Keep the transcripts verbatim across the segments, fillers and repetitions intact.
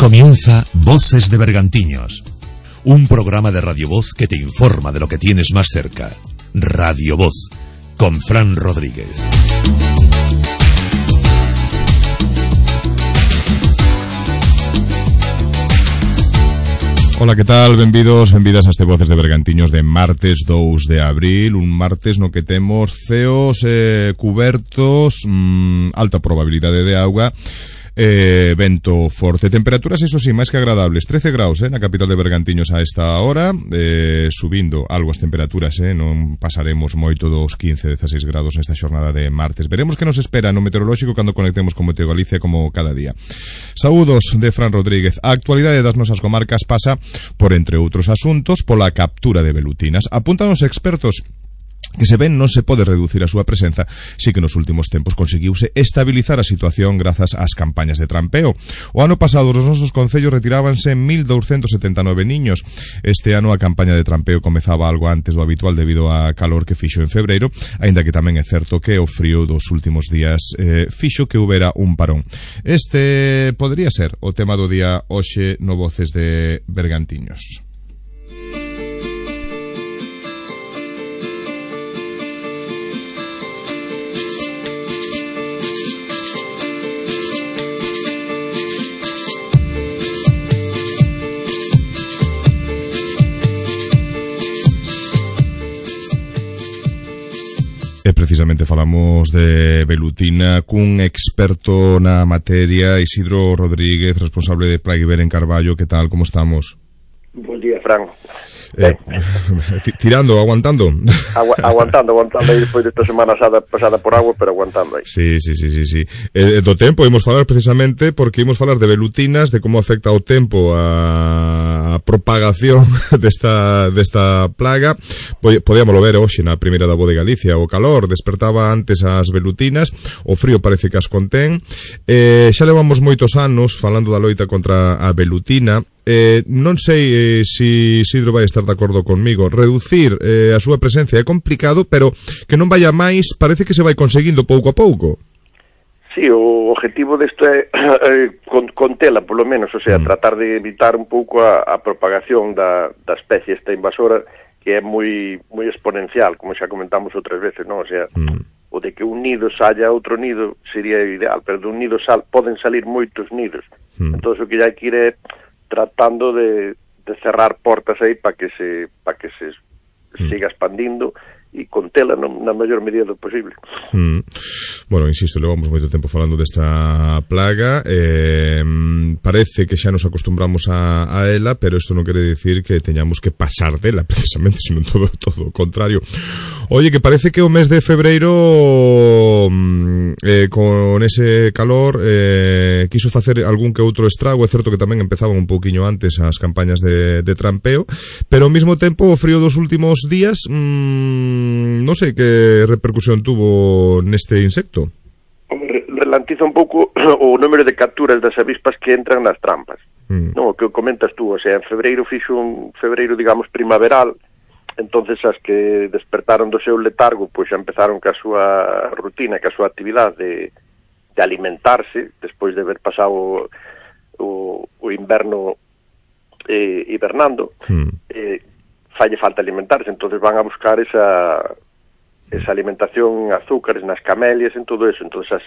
Comienza Voces de Bergantiños, un programa de Radio Voz que te informa de lo que tienes más cerca. Radio Voz, con Fran Rodríguez. Ola, que tal? Benvidos, benvidas a este Voces de Bergantiños de martes dous de abril, un martes no que temos ceos eh, cubertos, mmm, alta probabilidade de auga, eh, vento forte, temperaturas iso sí, máis que agradables, trece graus eh, na capital de Bergantiños a esta hora, eh, subindo algo as temperaturas, eh, non pasaremos moito dos quince, dezaseis grados nesta xornada de martes. Veremos que nos espera no meteorolóxico cando conectemos con Meteo Galicia como cada día. Saúdos de Fran Rodríguez. A actualidade das nosas comarcas pasa por, entre outros asuntos, pola captura de velutinas. Apuntan os expertos que se ven non se pode reducir a súa presenza, si que nos últimos tempos conseguiuse estabilizar a situación grazas ás campañas de trampeo. O ano pasado os nosos concellos retirábanse mil douscentos setenta e nove niños. Este ano a campaña de trampeo comezaba algo antes do habitual debido á calor que fixo en febreiro, aínda que tamén é certo que o frío dos últimos días eh, fixo que houbera un parón. Este podría ser o tema do día hoxe no Voces de Bergantiños. E precisamente falamos de velutina cun experto na materia, Isidro Rodríguez, responsable de Plaguiver en Carballo. Que tal, como estamos? Buen día, Fran. Eh, tirando, aguantando. Agu aguantando, aguantando aí despois desta semana pasada, pasada por agua, pero aguantando aí. Sí, sí, sí, sí, sí. Eh, do tempo imos falar precisamente porque imos falar de velutinas, de como afecta o tempo a, a propagación desta, desta plaga. Podíamoslo ver hoxe na primeira da Voz de Galicia. O calor despertaba antes as velutinas, o frío parece que as contén. Eh, xa levamos moitos anos falando da loita contra a velutina. Eh, non sei eh, si Isidro vai estar de acordo conmigo. Reducir eh, a súa presencia é complicado, pero que non vaya máis parece que se vai conseguindo pouco a pouco. Sí, o objetivo desto é eh, con, contela, polo menos, o sea, mm. tratar de evitar un pouco a, a propagación da, da especie esta invasora, que é moi moi exponencial, como xa comentamos outras veces, non? O sea, mm. o de que un nido saia outro nido sería ideal, pero de un nido sal, poden salir moitos nidos. Mm. Entón, o que hai que ir é tratando de, de cerrar portas aí para que se para que se mm. siga expandindo e contela no, na maior medida do posible. Mm. Bueno, insisto, levamos moito tempo falando desta plaga, eh, parece que xa nos acostumbramos a, a ela, pero isto non quere dicir que teñamos que pasar dela precisamente, sino todo, todo o contrario. Oye, que parece que o mes de febreiro eh, con ese calor eh, quiso facer algún que outro estrago. É certo que tamén empezaban un pouquiño antes as campañas de, de trampeo, pero ao mesmo tempo o frío dos últimos días mmm, non sei que repercusión tuvo neste insecto. Relantiza un pouco o número de capturas das avispas que entran nas trampas. Mm. Non, o que comentas tú, o sea, en febreiro fixo un febreiro, digamos, primaveral. Entonces as que despertaron do seu letargo, pois xa empezaron ca súa rutina, ca súa actividade de, de alimentarse, despois de haber pasado o, o, o inverno eh, hibernando, mm. eh, falle falta alimentarse, entonces van a buscar esa esa alimentación en azúcares, nas camelias, en todo eso. Entonces as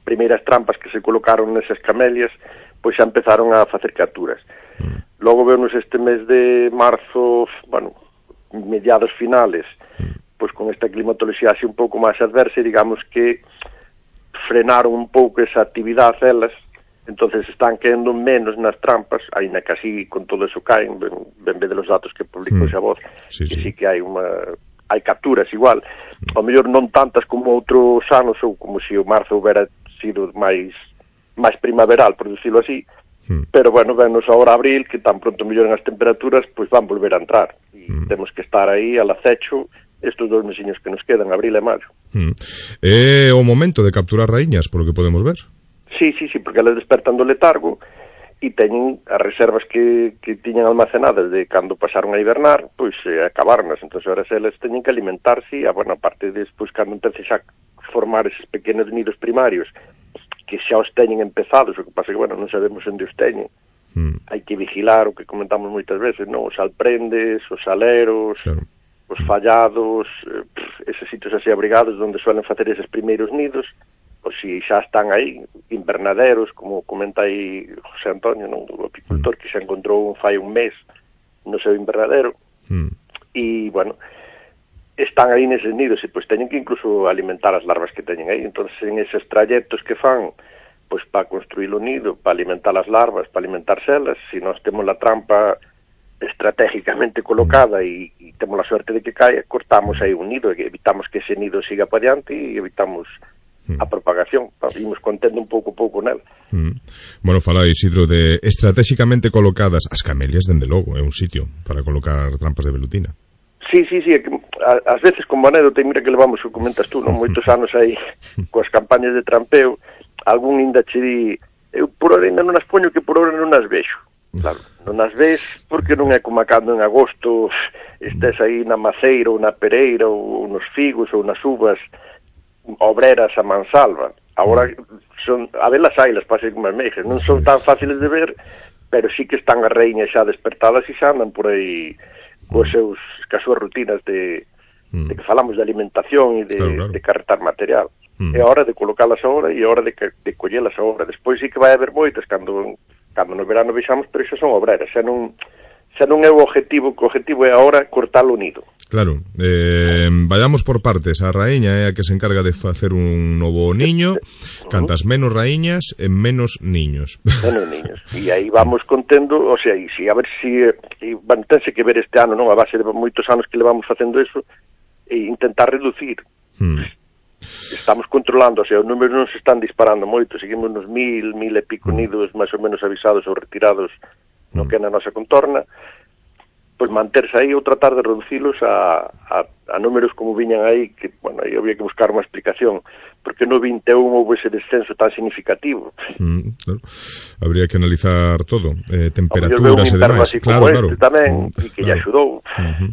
primeiras trampas que se colocaron nesas camelias, pois xa empezaron a facer capturas. Mm. Logo vemos este mes de marzo, bueno, mediados finales, pois con esta climatoloxía así un pouco máis adversa, digamos que frenaron un pouco esa actividade elas, entonces están caendo menos nas trampas, aínda que así con todo eso caen, ben, ben ve de los datos que publicou mm. a Voz, sí, que sí. sí que hai unha hai capturas igual, mm. ao mellor non tantas como outros anos, ou como se o marzo houbera sido máis máis primaveral, por decirlo así, mm. pero bueno, venos agora abril, que tan pronto melloren as temperaturas, pois van volver a entrar, e mm. temos que estar aí al acecho estes dos mesiños que nos quedan, abril e maio. Mm. É o momento de capturar raíñas, por lo que podemos ver. Sí, sí, sí, porque elas despertan do letargo e teñen as reservas que, que tiñan almacenadas de cando pasaron a hibernar, pois eh, acabarnas, entón ahora elas teñen que alimentarse, e, a bueno, aparte de despois cando empece xa formar eses pequenos nidos primarios, que xa os teñen empezados, o que pasa que, bueno, non sabemos onde os teñen, mm. hai que vigilar o que comentamos moitas veces, non? Os alprendes, os aleros, claro. os fallados, eh, eses sitios así abrigados onde suelen facer eses primeiros nidos, pois si xa están aí, invernaderos, como comenta aí José Antonio, non? O apicultor mm. que xa encontrou un fai un mes no seu invernadero, mm. e, bueno, están aí neses nidos e, pois, teñen que incluso alimentar as larvas que teñen aí. Entón, en eses trayectos que fan, pois, para construir o nido, para alimentar as larvas, para alimentar celas, se nós temos a trampa estratégicamente colocada e, e temos a suerte de que caia, cortamos aí un nido, e evitamos que ese nido siga para diante e evitamos a propagación, imos contendo un pouco pouco nel. Mm. Bueno, fala Isidro de estratégicamente colocadas as camelias, dende logo, é un sitio para colocar trampas de velutina. Sí, sí, sí, é que ás veces como anécdota, mira que levamos, o comentas tú, non, moitos anos aí coas campañas de trampeo, algún inda che di, eu por hora ainda non as poño que por hora non as vexo. Claro, non as ves porque non é como cando en agosto estés aí na maceira ou na pereira ou nos figos ou nas uvas obreras a mansalva. Agora son, a velas ailas pasen como as meixas, non son tan fáciles de ver, pero sí que están as reiñas xa despertadas e xa andan por aí coas seus, cas súas rutinas de, mm. de que falamos de alimentación e de, claro, claro. de carretar material. Mm. É hora de colocalas agora e é hora de, de collelas agora. Despois sí que vai haber moitas cando, cando no verano vexamos, pero xa son obreras, xa non xa non é o objetivo, que o objetivo é agora cortar o nido. Claro, eh, vayamos por partes. A raíña é a que se encarga de facer un novo niño, cantas menos raíñas e menos niños. Menos niños. E aí vamos contendo, o sea, e si, a ver si, e, bueno, tense que ver este ano, non, a base de moitos anos que levamos facendo eso, e intentar reducir. Hmm. Estamos controlando, o sea, os números non se están disparando moito, seguimos nos mil, mil e pico nidos máis ou menos avisados ou retirados no que é na nosa contorna, pois manterse aí ou tratar de reducilos a, a, a números como viñan aí, que, bueno, aí había que buscar unha explicación, porque no vinte e un houve ese descenso tan significativo. Mm, claro. Habría que analizar todo, eh, temperaturas e demais. Claro, claro. Este tamén, mm, e que claro. lle axudou. Uh-huh.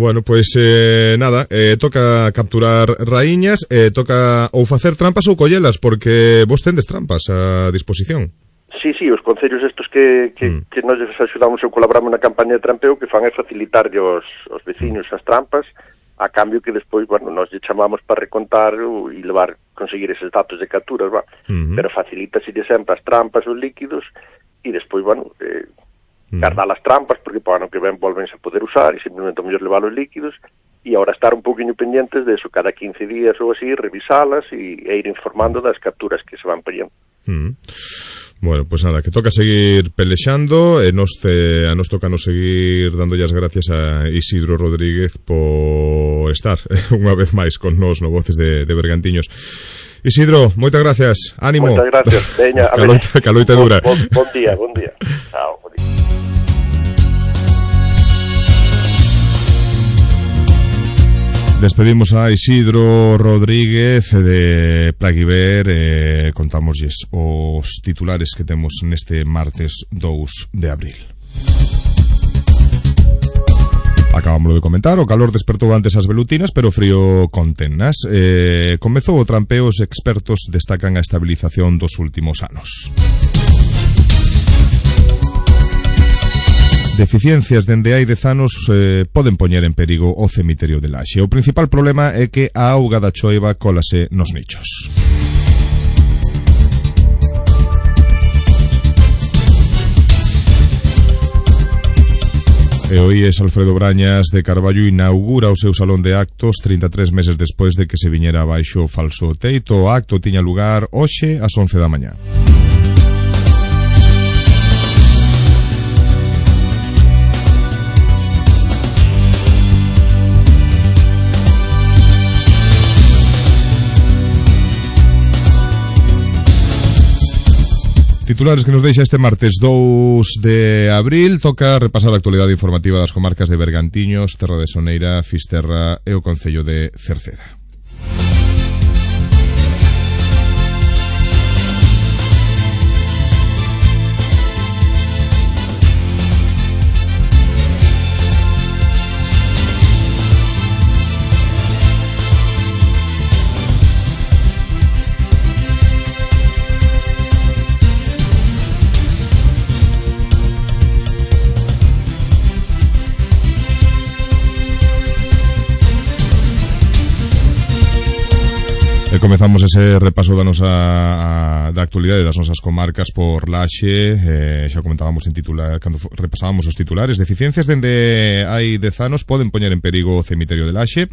Bueno, pois pues, eh, nada, eh, toca capturar raíñas, eh, toca ou facer trampas ou collelas, porque vos tendes trampas a disposición. Sí, sí, os concellos estos que, que, mm. que nos axudamos ou colaboramos na campaña de trampeo, que fan é facilitarlle os, os veciños as trampas, a cambio que despois, bueno, nos lle chamamos para recontar e levar, conseguir eses datos de capturas, va. Mm-hmm. Pero facilita se sempre as trampas, os líquidos, e despois, bueno, eh, mm. guardar as trampas, porque para ano que ven volvense a poder usar, e simplemente mellor levar os líquidos, e ahora estar un poquinho pendientes de eso, cada quince días ou así, revisalas e, e ir informando das capturas que se van pillando. Mm. Bueno, pues nada, que toca seguir pelexando, e nos te, a nos toca nos seguir dándolle as gracias a Isidro Rodríguez por estar unha vez máis con nos no Voces de, de Bergantiños. Isidro, moitas gracias, ánimo. Moitas gracias, veña, a caloita, ver, caloita bon, dura. Bon, bon día, bon día. Chao, bon día. Despedimos a Isidro Rodríguez de Plaguiver, eh, contámoslles os titulares que temos neste martes dous de abril. Acabámoslo de comentar, o calor despertou antes as velutinas, pero o frío contennas. Eh, comezou o trampeo, os expertos destacan a estabilización dos últimos anos. Deficiencias dende hai dez anos eh, poden poñer en perigo o cemiterio de Laxe. O principal problema é que a auga da choiva cólase nos nichos. E o I E S Alfredo Brañas de Carballo inaugura o seu salón de actos trinta e tres meses despois de que se viñera abaixo o falso teito. O acto tiña lugar hoxe ás once da mañá. Titulares que nos deixa este martes dous de abril. Toca repasar a actualidade informativa das comarcas de Bergantiños, Terra de Soneira, Fisterra e o concello de Cerceda. E comezamos ese repaso da nosa da actualidade das nosas comarcas por Laxe. eh, xa comentábamos en titular cando repasábamos os titulares. Deficiencias dende hai dez anos poden poñer en perigo o cemiterio de Laxe.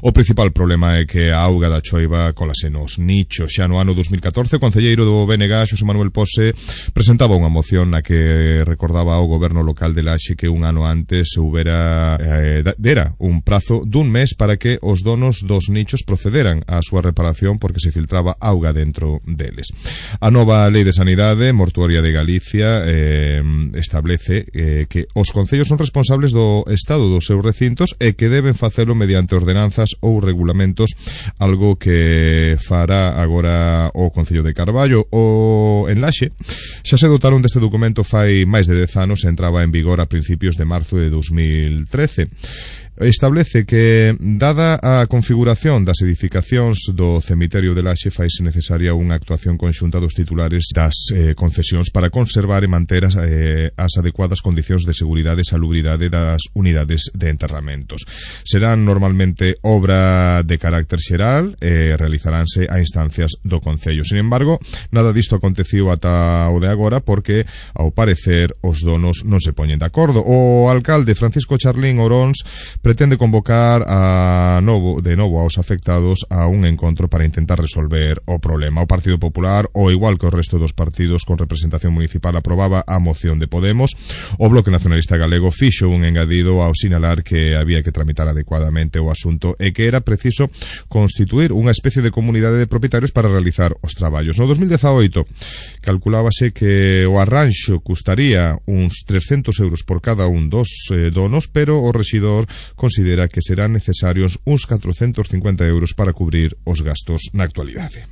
O principal problema é que a auga da choiva colase nos nichos. Xa no ano dos mil catorce, o concelleiro do B N G, Xosé Manuel Pose, presentaba unha moción na que recordaba ao goberno local de Laxe que un ano antes se houbera eh, dera un prazo dun mes para que os donos dos nichos procederan á súa reparación porque se filtraba auga dentro deles. A nova Lei de Sanidade Mortuoria de Galicia eh, establece eh, que os concellos son responsables do estado dos seus recintos e que deben facelo mediante ordenanzas ou regulamentos, algo que fará agora o Concello de Carballo. O en Laxe xa se dotaron deste documento fai máis de dez anos e entraba en vigor a principios de marzo de dos mil trece. Establece que, dada a configuración das edificacións do cemiterio de Laxe, faise necesaria unha actuación conxunta dos titulares das eh, concesións para conservar e manter as, eh, as adecuadas condicións de seguridade e salubridade das unidades de enterramentos. Serán normalmente obra de carácter xeral e realizaránse a instancias do Concello. Sin embargo, nada disto aconteciu ata o de agora porque, ao parecer, os donos non se poñen de acordo. O alcalde Francisco Charlín Oróns pretende convocar a novo, de novo aos afectados a un encontro para intentar resolver o problema. O Partido Popular, o igual que o resto dos partidos con representación municipal, aprobaba a moción de Podemos. O Bloque Nacionalista Galego fixo un engadido ao sinalar que había que tramitar adecuadamente o asunto e que era preciso constituir unha especie de comunidade de propietarios para realizar os traballos. No dos mil dezaoito calculábase que o arranxo custaría uns trescentos euros por cada un dos eh, donos, pero o rexidor considera que serán necesarios uns catrocentos cincuenta euros para cubrir os gastos na actualidade.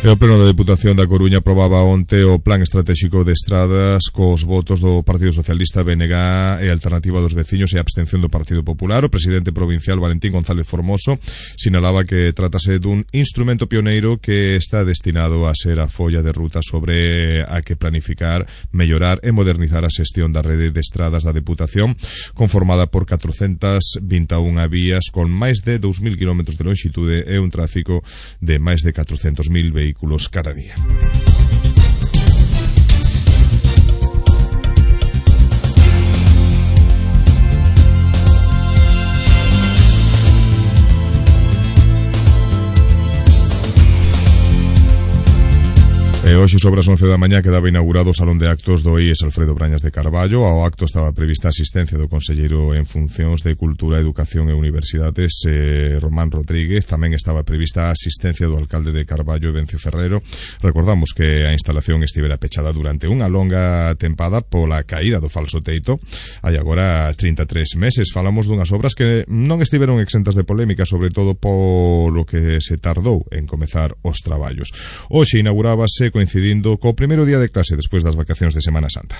E o Pleno da Deputación da Coruña aprobaba onte o Plan Estratégico de Estradas cos votos do Partido Socialista, B N G e Alternativa dos Veciños e a abstención do Partido Popular. O presidente provincial Valentín González Formoso sinalaba que trátase dun instrumento pioneiro que está destinado a ser a folla de ruta sobre a que planificar, mellorar e modernizar a xestión da rede de estradas da Deputación, conformada por catrocentas vinte e unha vías con máis de dous mil kilómetros de longitude e un tráfico de máis de catrocentos mil vehículos cada día. E hoxe sobre as once da mañá quedaba inaugurado o Salón de Actos do I E S Alfredo Brañas de Carballo. Ao acto estaba prevista a asistencia do conselleiro en funcións de Cultura, Educación e Universidades, eh, Román Rodríguez. Tamén estaba prevista a asistencia do alcalde de Carballo, Evencio Ferrero. Recordamos que a instalación estivera pechada durante unha longa tempada pola caída do falso teito. Hai agora trinta e tres meses. Falamos dunhas obras que non estiveron exentas de polémica, sobre todo polo que se tardou en comezar os traballos. Hoxe inaugurábase coincidindo co primeiro día de clase despois das vacacións de Semana Santa.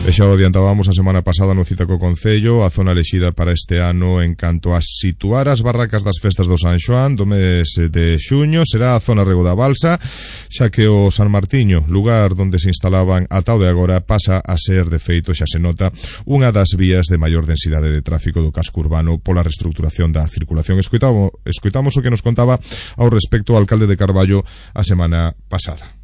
E xa o adiantábamos a semana pasada no Cita co Concello, a zona elexida para este ano en canto a situar as barracas das festas do San Xoán do mes de xuño será a zona Rego da Balsa, xa que o San Martiño, lugar donde se instalaban ata o de agora, pasa a ser, de feito, xa se nota, unha das vías de maior densidade de tráfico do casco urbano pola reestructuración da circulación. Escoitamos, escoitamos o que nos contaba ao respecto o alcalde de Carballo a semana pasada.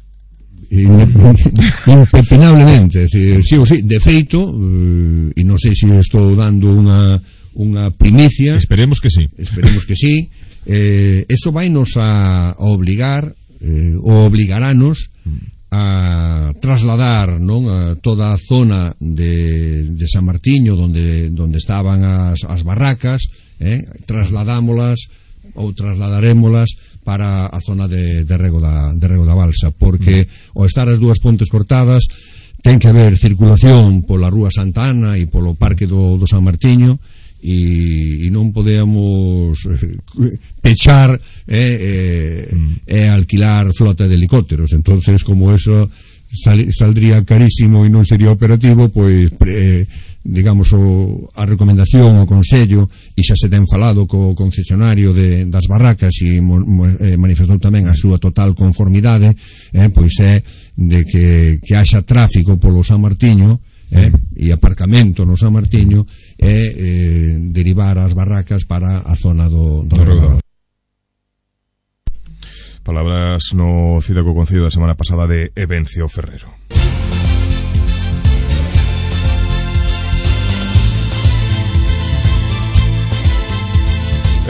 Impepinablemente, decir, sí ou sí, de feito, eh, e non sei se estou dando unha unha primicia. Esperemos que sí. Esperemos que sí. Eh, eso vai nos a, a obligar, eh, ou obligarános a trasladar, non, a toda a zona de, de San Martiño donde donde estaban as, as barracas, eh, trasladámolas ou trasladarémolas para a zona de, de, Rego da, de Rego da Balsa, porque mm. ao estar as dúas pontes cortadas ten que haber circulación pola Rúa Santa Ana e polo Parque do, do San Martiño e, e non podemos pechar eh, eh, mm. e alquilar flota de helicópteros. Entonces, como eso sal, saldría carísimo e non sería operativo, pois eh, digamos, o, a recomendación, o consello, e xa se ten falado co concesionario de, das barracas e mo, mo, eh, manifestou tamén a súa total conformidade, eh, pois é de que, que haxa tráfico polo San Martiño, eh, e aparcamento no San Martiño, e eh, derivar as barracas para a zona do, do, do Redor. Palabras no Cidaco Concello da semana pasada de Evencio Ferrero.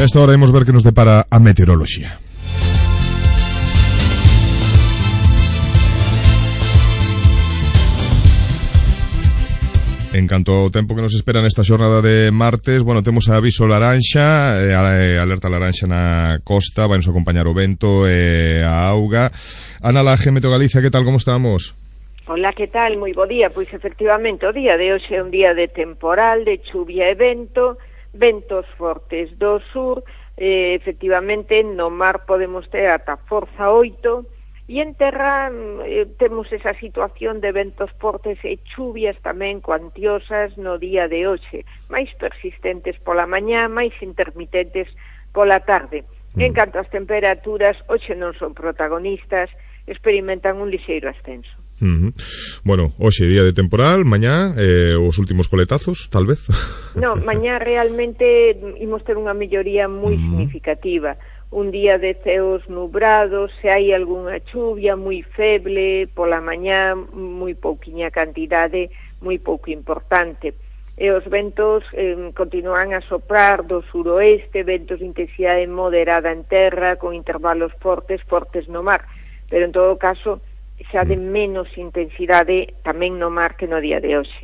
Esta hora imos ver que nos depara a meteoroloxía. En canto ao tempo que nos espera nesta xornada de martes, bueno, temos aviso laranxa, eh, alerta laranxa na costa, vai nos acompañar o vento e eh, a auga. Ana Laje, Meteo Galicia, que tal, como estamos? Hola, que tal? Moi bo día. Pois efectivamente o día de hoxe é un día de temporal, de chuvia e vento, ventos fortes do sur, eh, efectivamente no mar podemos ter ata forza oito, e en terra eh, temos esa situación de ventos fortes e chuvias tamén cuantiosas no día de hoxe, máis persistentes pola mañá, máis intermitentes pola tarde. Mm. En canto ás temperaturas, hoxe non son protagonistas, experimentan un lixeiro ascenso. Uh-huh. Bueno, hoxe día de temporal, mañá eh, os últimos coletazos, tal vez. No, mañá realmente imos ter unha melloría moi uh-huh. significativa. Un día de ceos nubrados, se hai algunha chuvia moi feble, pola mañá moi pouquiña cantidade, moi pouco importante. E os ventos eh, continúan a soprar do suroeste, ventos de intensidade moderada en terra, con intervalos fortes, fortes no mar, pero en todo caso xa de menos intensidade tamén no mar que no día de hoxe.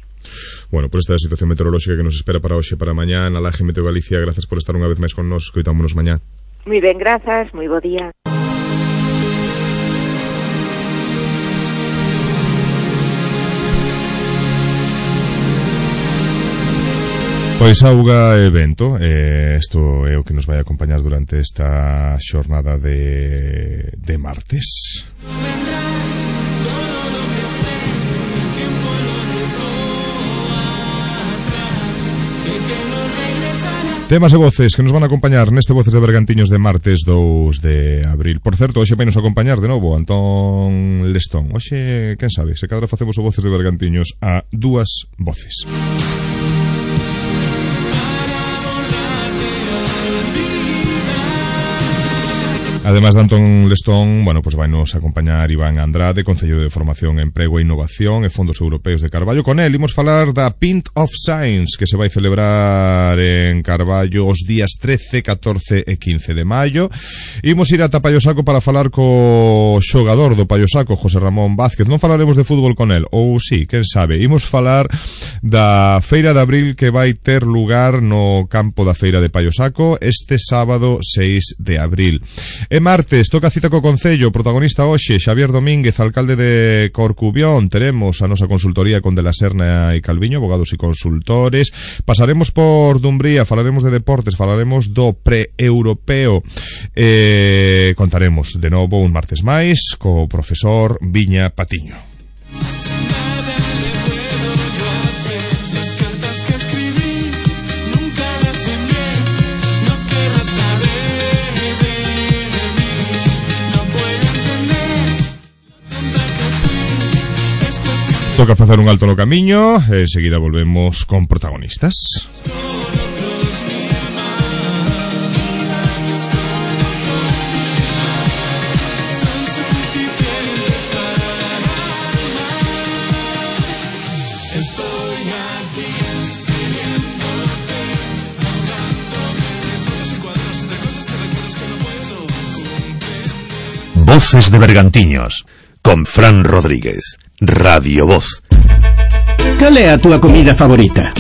Bueno, por esta situación meteorolóxica que nos espera para hoxe, para mañá, na Laje Meteo Galicia, grazas por estar unha vez máis con nos, coitámonos mañá. Moi ben, grazas, moi bo día. Pois auga e vento, eh, isto é o que nos vai acompañar durante esta xornada de, de martes. Temas e voces que nos van a acompañar neste Voces de Bergantiños de martes dous de abril. Por certo, hoxe vai nos acompañar de novo Antón Lestón. Hoxe, quen sabe, se cadra facemos o Voces de Bergantiños a dúas voces. Además de Antón Lestón, bueno, pues vai nos acompañar Iván Andrade, Concello de Formación, Emprego e Innovación e Fondos Europeos de Carballo. Con él imos falar da Pint of Science, que se vai celebrar en Carballo os días trece, catorce e quince de maio. Imos ir ata Paiosaco para falar co xogador do Paiosaco, José Ramón Vázquez. Non falaremos de fútbol con él, ou sí, quen sabe. Imos falar da Feira de Abril que vai ter lugar no campo da Feira de Paiosaco este sábado seis de abril. E martes, toca cita co Concello, protagonista hoxe, Xavier Domínguez, alcalde de Corcubión. Teremos a nosa consultoría con De la Serna e Calviño, abogados e consultores. Pasaremos por Dumbría, falaremos de deportes, falaremos do pre-europeo. Eh, contaremos de novo un martes máis co profesor Viña Patiño. Toca facer un alto no camiño, e enseguida volvemos con protagonistas. Voces de Bergantiños, con Fran Rodríguez. Radio Voz. Cal é a túa comida favorita?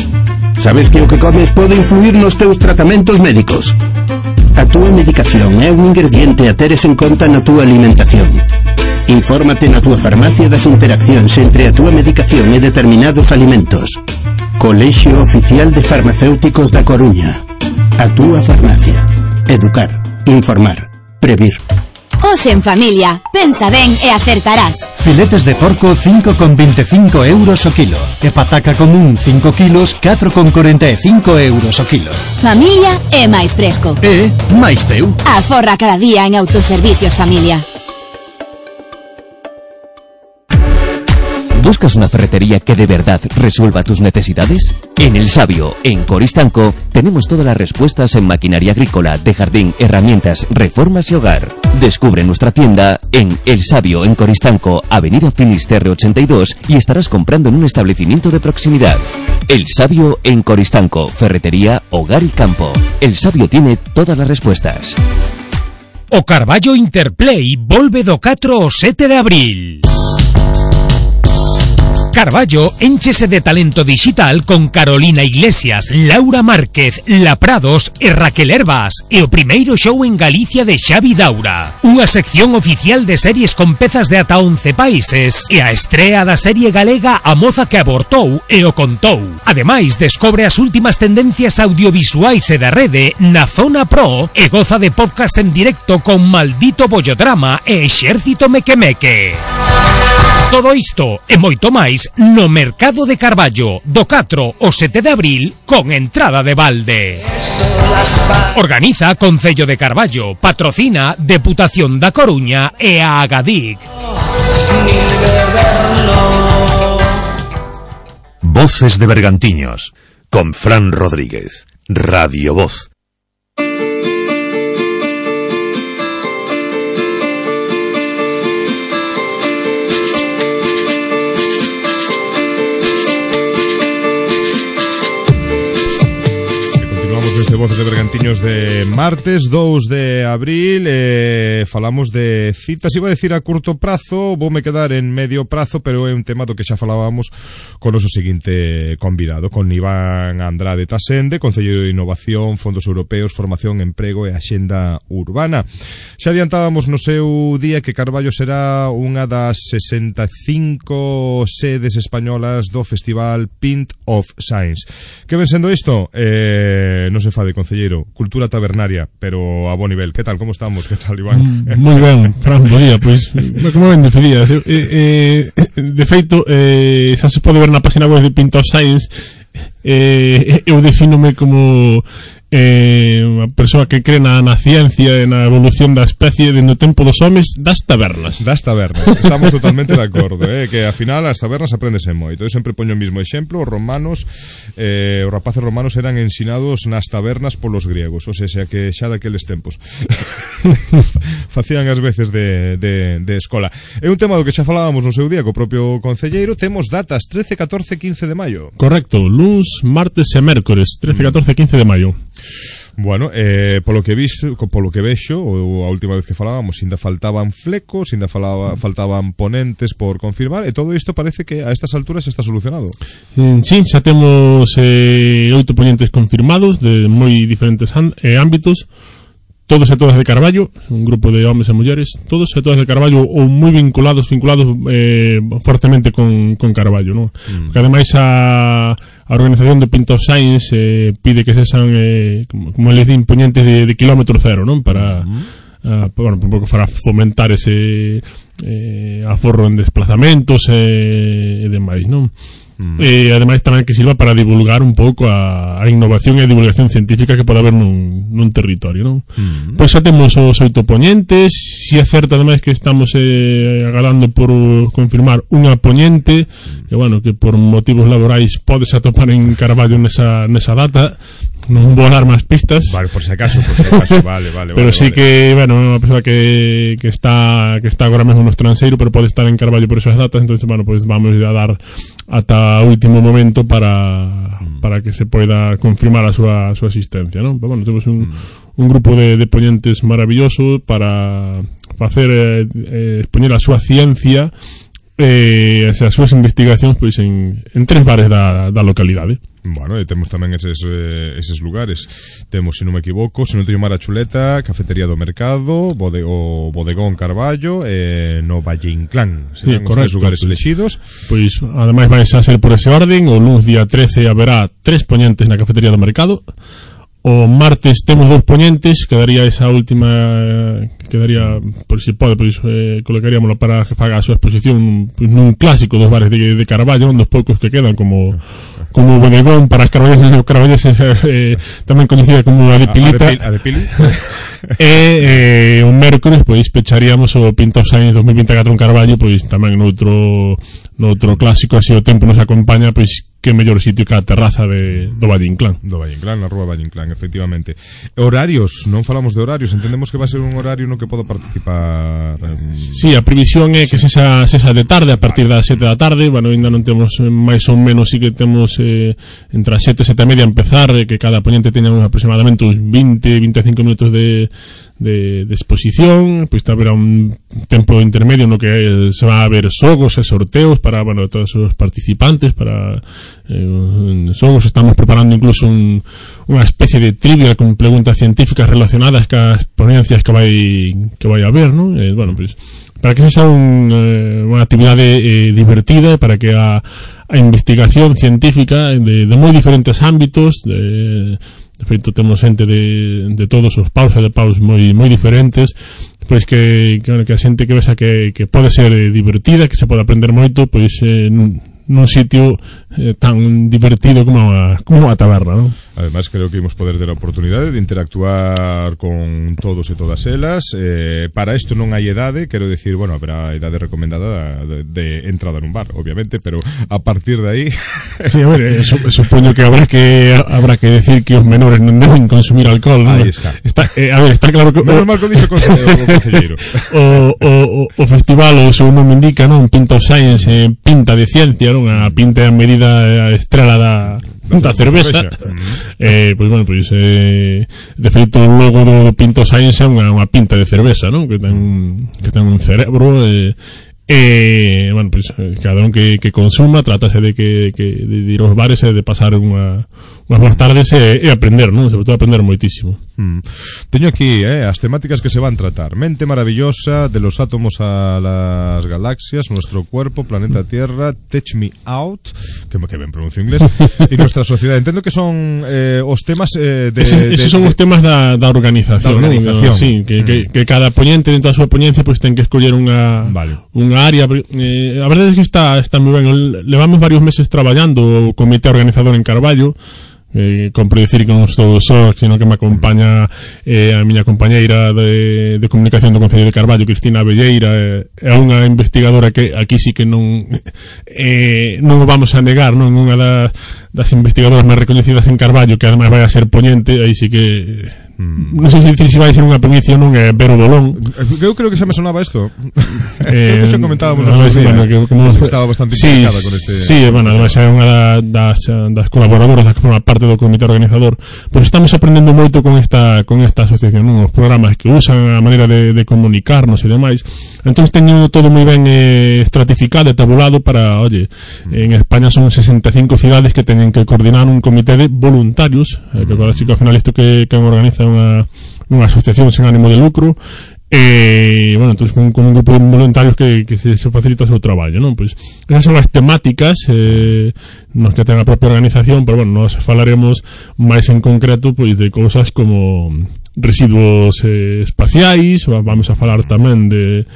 Sabes que o que comes pode influir nos teus tratamentos médicos? A túa medicación é un ingrediente a teres en conta na túa alimentación. Infórmate na túa farmacia das interaccións entre a túa medicación e determinados alimentos. Colexio Oficial de Farmacéuticos da Coruña. A túa farmacia. Educar, informar, previr. Hoxe en familia, pensa ben e acertarás. Filetes de porco cinco con veinticinco euros o kilo e pataca común cinco kilos catro con cuarenta e cinco euros o kilo. Familia é máis fresco. E máis teu. Aforra cada día en Autoservicios Familia. ¿Buscas una ferretería que de verdad resuelva tus necesidades? En El Sabio, en Coristanco, tenemos todas las respuestas en maquinaria agrícola, de jardín, herramientas, reformas y hogar. Descubre nuestra tienda en El Sabio, en Coristanco, Avenida Finisterre ochenta y dos, y estarás comprando en un establecimiento de proximidad. El Sabio, en Coristanco, ferretería, hogar y campo. El Sabio tiene todas las respuestas. O Carballo Interplay volve do catro ao sete de abril. Carballo énchese de talento digital con Carolina Iglesias, Laura Márquez, La Prados e Raquel Herbas, e o primeiro show en Galicia de Xavi Daura. Unha sección oficial de series con pezas de ata once países e a estrea da serie galega A moza que abortou e o contou. Ademais, descobre as últimas tendencias audiovisuais e da rede na Zona Pro e goza de podcast en directo con Maldito Bollodrama e Exército Mequemeque. Todo isto e moito máis no Mercado de Carballo do catro ao sete de abril con entrada de balde. Organiza Concello de Carballo, patrocina Deputación da Coruña e a Agadic. Voces de Bergantiños con Fran Rodríguez, Radio Voz. Desde Voces de Bergantiños de martes dous de abril, eh, falamos de citas, iba a decir a curto prazo, voume quedar en medio prazo, pero é un tema do que xa falábamos con o noso seguinte convidado, con Iván Andrade Tasende, Concelleiro de Innovación, Fondos Europeos, Formación, Emprego e Axenda Urbana. Xa adiantábamos no seu día que Carballo será unha das sesenta e cinco sedes españolas do Festival Pint of Science. Que ven sendo isto? Eh, non se fade, concelleiro, cultura tabernaria, pero a bo nivel. Que tal, como estamos? Que tal, Iván? Moi ben, Fran, bo día. Pois, como ben defendías, eh, eh, de feito, eh, xa se pode ver na página web de Pint of Science, eh, eu defínome como eh, unha persoa que cree na, na ciencia e na evolución da especie dentro do tempo dos homes das tabernas. Das tabernas, estamos totalmente de acordo, eh, que ao final as tabernas aprendese moito. Eu sempre poño o mismo exemplo, os romanos, eh, os rapaces romanos eran ensinados nas tabernas polos griegos, ou sea, que xa daqueles tempos facían as veces de, de, de escola. É un tema do que xa falábamos no seu día co propio concelleiro. Temos datas trece, catorce, quince de maio. Correcto, luns, martes e mércores, trece, catorce, quince de maio. Bueno, eh, polo que vis, polo que vexo, ou a última vez que falábamos, ainda faltaban flecos, ainda falaba, faltaban ponentes por confirmar, e todo isto parece que a estas alturas está solucionado. Eh, sí, xa temos eh, oito ponentes confirmados de moi diferentes eh, ámbitos, todos e todas de Carballo, un grupo de homes e mulleres, todos e todas de Carballo ou moi vinculados, vinculados eh, fortemente con, con Carballo, ¿no? Mm. Porque ademais a, a organización de Pint of Science eh, pide que sexan, eh, como, como les din, ponentes de, de kilómetro cero, ¿no? Para, mm. uh, bueno, para fomentar ese eh, aforro en desplazamentos e eh, demais, ¿no? Mm. E ademais tamén que sirva para divulgar un pouco a, a innovación e a divulgación científica que pode haber nun, nun territorio, non? Mm. Pois xa temos os oito poñentes. Si é certo ademais que estamos eh, agardando por confirmar unha poñente, que bueno, que por motivos laborais podes atopar en Carballo nesa, nesa data. Non vou dar máis pistas. Vale, por si acaso, por si acaso, vale, vale. Pero vale, sí vale. que, bueno, é unha persoa que, que está que está agora mesmo no estranxeiro, pero pode estar en Carballo por esas datas, entonces, bueno, pues vamos a dar ata o último momento para mm. para que se poida confirmar a súa, a súa existencia, ¿no? Pero, bueno, temos un, mm. un grupo de, de ponentes maravilloso para facer eh, eh, expoñer a súa ciencia e eh, as súas investigacións pois en, en tres bares da, da localidade. Bueno, e temos tamén eses, eh, eses lugares. Temos, se non me equivoco, se non teño mala chuleta, Cafetería do Mercado, bode, o Bodegón Carballo e no Valle Inclán. Sí, Serán os correcto, tres lugares pues, elexidos. Pois, ademais, vai a ser por ese orden. O luns día trece haberá tres poñentes na Cafetería do Mercado. O martes temos dous poñentes, quedaría esa última quedaría, por si pode, pois eh, colocaríamoslo para que faga a súa exposición pois, nun clásico dos bares de, de Carballo, un dos poucos que quedan, como como bodegón para as carballeses e os carballeses, eh, tamén coñecida como a de Pilita. A de Pili. E eh, un mércores pois pecharíamos o Pinto Science dos mil vinte e catro en Carballo, pois tamén noutro noutro clásico, así o tempo nos acompaña, pois que mellor sitio que a terraza de, do Valle Inclán. Do Valle Inclán, na rúa Valle Inclán, efectivamente. Horarios, non falamos de horarios, entendemos que va a ser un horario no que podo participar. En... Sí, a previsión é que se xa, se xa de tarde, a partir das sete da tarde, bueno, ainda non temos máis ou menos, sí que temos eh, entre as sete e sete e media a empezar, eh, que cada ponente teña aproximadamente uns vinte, veinticinco minutos de, de, de exposición, pois haberá un tempo intermedio no que se va a ver xogos e sorteos para, bueno, todos os participantes, para eh, xogos. Estamos preparando incluso un, unha especie de trivia con preguntas científicas relacionadas cas ponencias que vai que vai a haber, ¿no? Eh, bueno, pues, para que sexa un, eh, unha actividade eh, divertida, para que a, a investigación científica de, de moi diferentes ámbitos, de, de feito temos xente de, de todos os paus e de paus moi moi diferentes, pois que, que, que a xente que vexa que, que pode ser eh, divertida, que se pode aprender moito, pois eh, nun sitio eh, tan divertido como a, como a taberna, ¿no? Además, creo que imos poder ter a oportunidade de interactuar con todos e todas elas. Eh, para isto non hai edade, quero decir, bueno, habrá idade recomendada de, de entrada nun bar, obviamente, pero a partir de aí... Sí, a ver, eh, supoño que habrá que habrá que decir que os menores non deben consumir alcohol, ¿no? Aí está. está eh, a ver, está claro que... Menos mal que o dixo o conselleiro. o, o, o festival, o seu nome indica, non? Pinta of Science, eh, pinta de ciencia, non? A pinta a medida a estrela da, da cerveza. Eh, pois bueno, pois eh, de feito o logo do Pinto Science é unha, unha pinta de cerveza, non? Que ten un, que ten un cerebro e eh, eh, bueno, pois cada un que, que consuma trátase de que, que de ir aos bares e de pasar unha unhas boas tardes e, e aprender, non? Sobre todo aprender moitísimo. Mm. Teño aquí eh, as temáticas que se van tratar: mente maravillosa, de los átomos a las galaxias, nuestro cuerpo, planeta Tierra, Touch Me Out, que, que ben pronuncio inglés, e nuestra sociedade. Entendo que son eh, os temas eh, de, Ese, esos de, son de, os temas da, da organización, da organización. ¿no? Sí, que, mm. que, que cada poñente dentro da súa poñencia pois pues, ten que escoller unha vale. unha área. Eh, a verdade é que está, está moi ben. Levamos varios meses traballando o comité organizador en Carballo. Eh, compre dicir que non estou só, sino que me acompaña eh, a miña compañeira de, de comunicación do Concello de Carballo, Cristina Abelleira, é eh, unha investigadora que aquí sí que non eh, non o vamos a negar, non unha das, das investigadoras máis recoñecidas en Carballo, que ademais vai a ser poñente, aí sí que mm. non sei se dicir se vai ser unha primicia ou non, é Vero Bolón. Eu creo que xa me sonaba isto. Eh, xa comentábamos no, no, día, bueno, que, como que estaba bastante sí, implicada con este. Sí, bueno, además é unha das, das colaboradoras que forma parte do comité organizador. Pois estamos aprendendo moito con esta con esta asociación, non? Os programas que usan, a maneira de, de comunicarnos e demais. Entón teño todo moi ben eh, estratificado e tabulado para, oye, en España son sesenta e cinco cidades que teñen que coordinar un comité de voluntarios, eh, que así que ao final isto que, que organiza unha, unha asociación sen ánimo de lucro. E, bueno, entonces con, con un grupo de voluntarios que, que se, se facilita o seu traballo, non? Pois esas son as temáticas eh, nos que ten a propia organización, pero bueno, nos falaremos máis en concreto pois de cousas como residuos eh, espaciais, vamos a falar tamén de,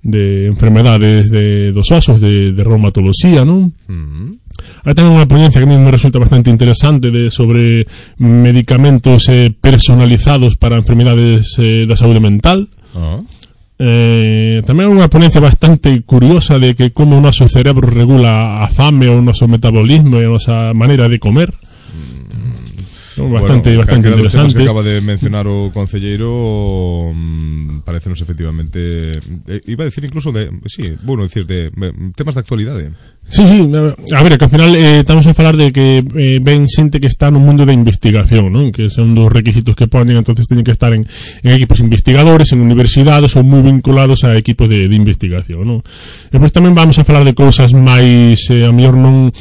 de enfermedades de, dos osos, de, de reumatoloxía, non? Mm-hmm. Hai tamén unha ponencia que a mí me resulta bastante interesante de sobre medicamentos eh, personalizados para enfermedades eh, da saúde mental. Uh-huh. Eh, tamén unha ponencia bastante curiosa de que como o noso cerebro regula a fame, o noso metabolismo e a nosa maneira de comer. Bastante, bueno, bastante interesante. Que acaba de mencionar o concelleiro mmm, parecenos efectivamente eh, iba a decir incluso de, sí, bueno, decir de eh, temas de actualidade. Sí, sí, a ver, que ao final eh, estamos a falar de que eh, ven xente que está no mundo da investigación, non? Que son dos requisitos que ponen, entonces teñen que estar en, en equipos investigadores, en universidades ou moi vinculados a equipos de, de investigación, non? E pois tamén vamos a falar de cousas máis eh, a mellor non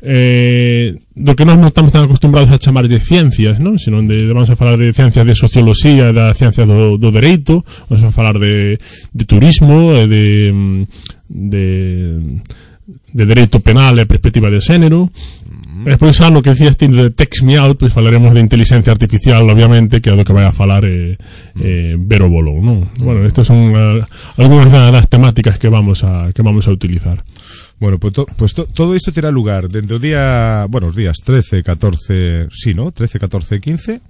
eh, do que nós non estamos tan acostumbrados a chamar de ciencias, non? Sino de, de vamos a falar de ciencias de socioloxía, da ciencia do, do dereito, vamos a falar de, de turismo, de de de dereito penal e perspectiva de xénero. Uh-huh. E despois xa no que decías ti de Text Me Out, pois falaremos de inteligencia artificial, obviamente, que é do que vai a falar eh, eh, Vero Bolou, non? Bueno, estas son uh, algunhas das temáticas que vamos a que vamos a utilizar. Bueno, pues, to, pues to, todo isto terá lugar dentro do día, bueno, os días trece, catorce, sí, ¿no? trece, catorce, quince.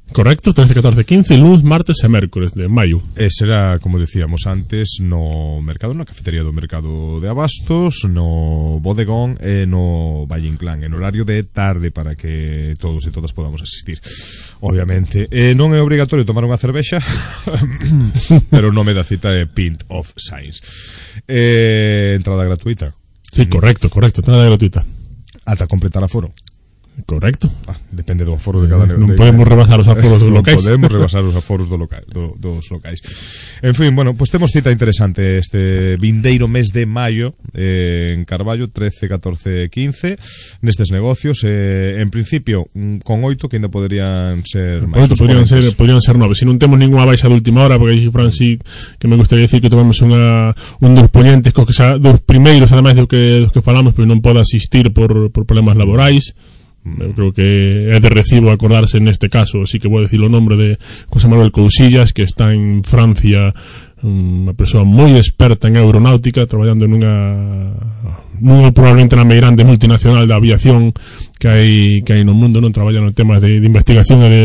Correcto, trece, catorce, quince, lunes, martes e mércores de maio. E será, como decíamos antes, no mercado, na cafetería do mercado de Abastos, no bodegón e no Valle Inclán, en horario de tarde para que todos e todas podamos asistir. Obviamente, eh, non é obrigatorio tomar unha cervexa, pero o nome da cita é Pint of Science. Eh, entrada gratuita. Sí, correcto, correcto, entrada gratuita. Ata completar aforo. Correcto. Ah, depende do aforo de cada... Non de, podemos rebasar os aforos dos locais. Non podemos rebasar os aforos do loca, do, dos locais. En fin, bueno, pues temos cita interesante este vindeiro mes de maio eh, en Carballo, trece, catorce, quince, nestes negocios. Eh, en principio, con oito que ainda poderían ser máis. Oito podrían ser, podrían ser nove. Se non temos ninguna baixa de última hora, porque aí, Fran, sí que me gustaría decir que tomamos unha, un dos ponentes, cos que xa, dos primeiros, ademais do que, dos que falamos, pois non pode asistir por, por problemas laborais. Eu creo que é de recibo acordarse neste caso, así que vou decir o nombre de José Manuel Cousillas, que está en Francia, unha persoa moi experta en aeronáutica, traballando nunha nunha probablemente na meirande multinacional da aviación que hai que hai no mundo, non traballa no temas de, de investigación e de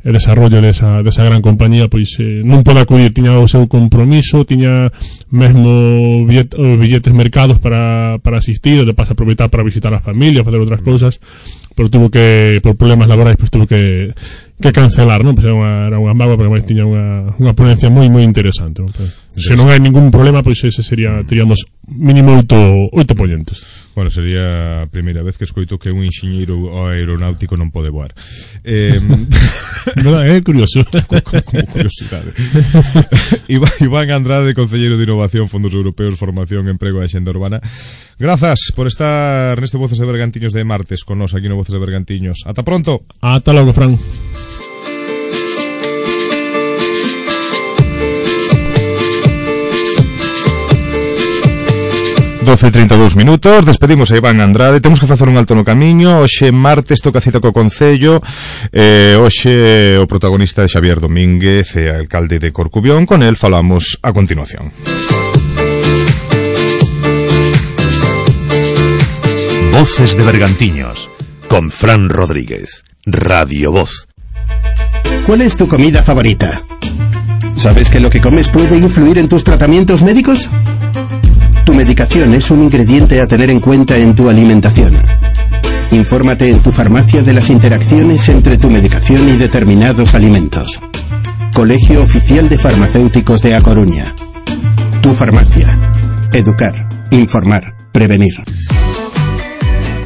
e desarrollo desa, desa gran compañía, pois eh, non pode acudir, tiña o seu compromiso, tiña mesmo billet, billetes mercados para, para asistir, de paso aproveitar para visitar a familia, facer outras cousas, pero tuvo que, por problemas laborais, pois tuvo que que cancelar, non? Pois era unha, era unha mágoa, porque máis tiña unha, unha ponencia moi moi interesante, non? Pois, se non hai ningún problema, pois ese sería, teríamos mínimo oito, oito ponentes. Bueno, sería a primeira vez que escoito que un enxeñeiro aeronáutico non pode voar. Eh, no, é curioso. Como, como curiosidade. Iván Andrade, concelleiro de Innovación, Fondos Europeos, Formación, Emprego e Axenda Urbana. Grazas por estar neste Voces de Bergantiños de martes con nos aquí no Voces de Bergantiños. Ata pronto. Ata logo, Fran. doce e trinta e dous minutos, despedimos a Iván Andrade. Temos que facer un alto no camiño. Hoxe martes toca cita co Concello. eh, Hoxe o protagonista é Xavier Domínguez, e alcalde de Corcubión. Con el falamos a continuación. Voces de Bergantiños con Fran Rodríguez, Radio Voz. ¿Cuál es tu comida favorita? ¿Sabes que lo que comes puede influir en tus tratamientos médicos? Tu medicación es un ingrediente a tener en cuenta en tu alimentación. Infórmate en tu farmacia de las interacciones entre tu medicación y determinados alimentos. Colegio Oficial de Farmacéuticos de A Coruña. Tu farmacia. Educar, informar, prevenir.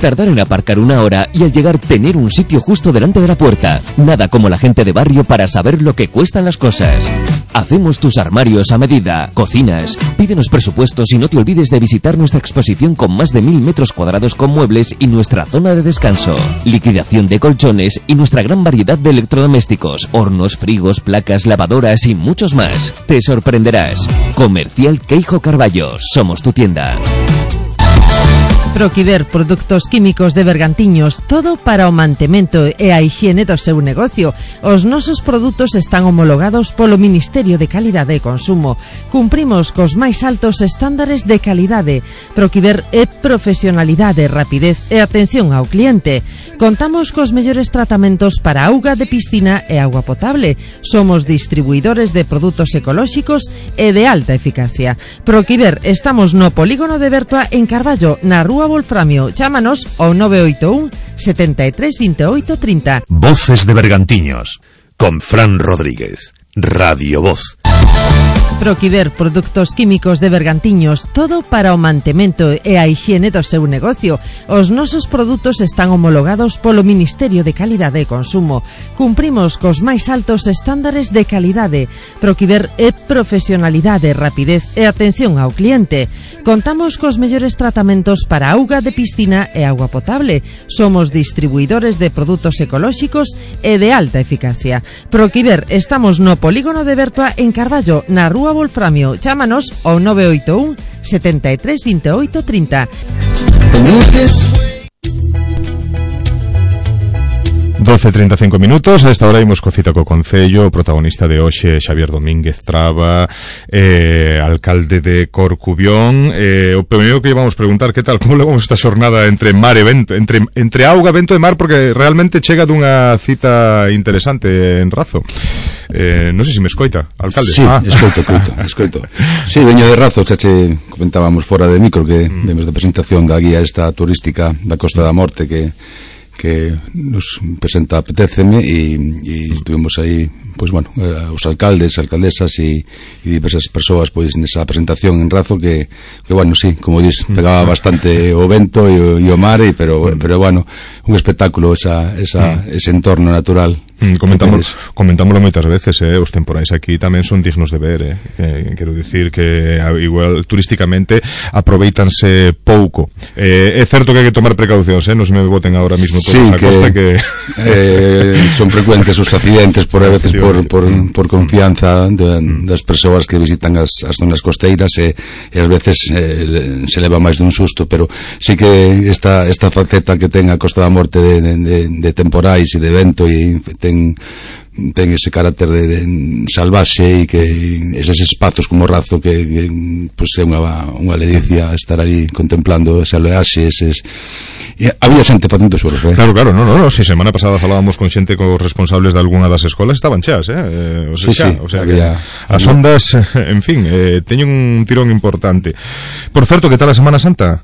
Tardar en aparcar una hora y al llegar tener un sitio justo delante de la puerta. Nada como la gente de barrio para saber lo que cuestan las cosas. Hacemos tus armarios a medida, cocinas. Pídenos presupuestos y no te olvides de visitar nuestra exposición con más de mil metros cuadrados con muebles y nuestra zona de descanso. Liquidación de colchones y nuestra gran variedad de electrodomésticos, hornos, frigos, placas, lavadoras y muchos más. Te sorprenderás. Comercial Queijo Carballo. Somos tu tienda. Proquiver Produtos Químicos de Bergantiños, todo para o mantemento e a hixiene do seu negocio. Os nosos produtos están homologados polo Ministerio de Calidade e Consumo. Cumprimos cos máis altos estándares de calidade. Proquiver é profesionalidade, rapidez e atención ao cliente. Contamos cos mellores tratamentos para auga de piscina e auga potable. Somos distribuidores de produtos ecolóxicos e de alta eficacia. Proquiver, estamos no Polígono de Bertua en Carballo, na Rúa Wolframio. Chámanos ao nove oito un, setenta e tres, veintiocho, treinta. Voces de Bergantiños con Fran Rodríguez, Radio Voz. Proquiver Produtos Químicos de Bergantiños, todo para o mantemento e a hixiene do seu negocio. Os nosos produtos están homologados polo Ministerio de Calidade e Consumo. Cumprimos cos máis altos estándares de calidade. Proquiver é profesionalidade, rapidez e atención ao cliente. Contamos cos mellores tratamentos para auga de piscina e auga potable. Somos distribuidores de produtos ecolóxicos e de alta eficacia. Proquiver, estamos no Polígono de Bertua en Carballo, na Rúa Wolframio. Chámanos ao nove oito un, setenta e tres, veintiocho, treinta. doce e trinta e cinco minutos. A esta hora imos co cita co Concello. O protagonista de hoxe, Xavier Domínguez Traba, eh, alcalde de Corcubión. eh, O primeiro que vamos preguntar, que tal, como levamos esta xornada entre mar e vento, entre, entre auga, vento e mar, porque realmente chega dunha cita interesante en Razo. eh, Non sei se me escoita, alcalde. Sí, ah. escoito, escoito, escoito. Sí, veño de Razo, xa che comentábamos fora de micro que mm. vemos da presentación da guía esta turística da Costa da Morte que que nos presenta Apetéceme e, e estuvimos aí, pois bueno, eh, os alcaldes, alcaldesas e, e diversas persoas pois nesa presentación en Razo que, que bueno, sí, como dis, pegaba bastante o vento e o, e o mar e, pero, pero bueno, un espectáculo esa, esa, ese entorno natural. Mm, comentamos, comentámoslo moitas veces, eh, os temporais aquí tamén son dignos de ver, eh, eh, quero dicir que igual turísticamente aproveitanse pouco. eh, é certo que hai que tomar precaucións, eh, non se me boten agora mismo todos sí, a costa que eh, son frecuentes os accidentes por a veces por, por, por confianza de, das persoas que visitan as, as zonas costeiras e, e ás veces eh, se leva máis dun susto, pero sí que esta, esta faceta que ten a Costa da Morte de, de, de, de temporais e de vento e ten ten ese carácter de, de salvaxe e que eses espazos como Razo que, que pues, é unha, unha ledicia estar ali contemplando ese oleaxe, eses e había xente facendo surf, eh? Claro, claro, no, no, no, si semana pasada falábamos con xente cos responsables de algunha das escolas, estaban cheas, eh, eh o sea, sí, xa, sí, o sea había, que as ondas, en fin, eh, teñen un tirón importante. Por certo, que tal a Semana Santa?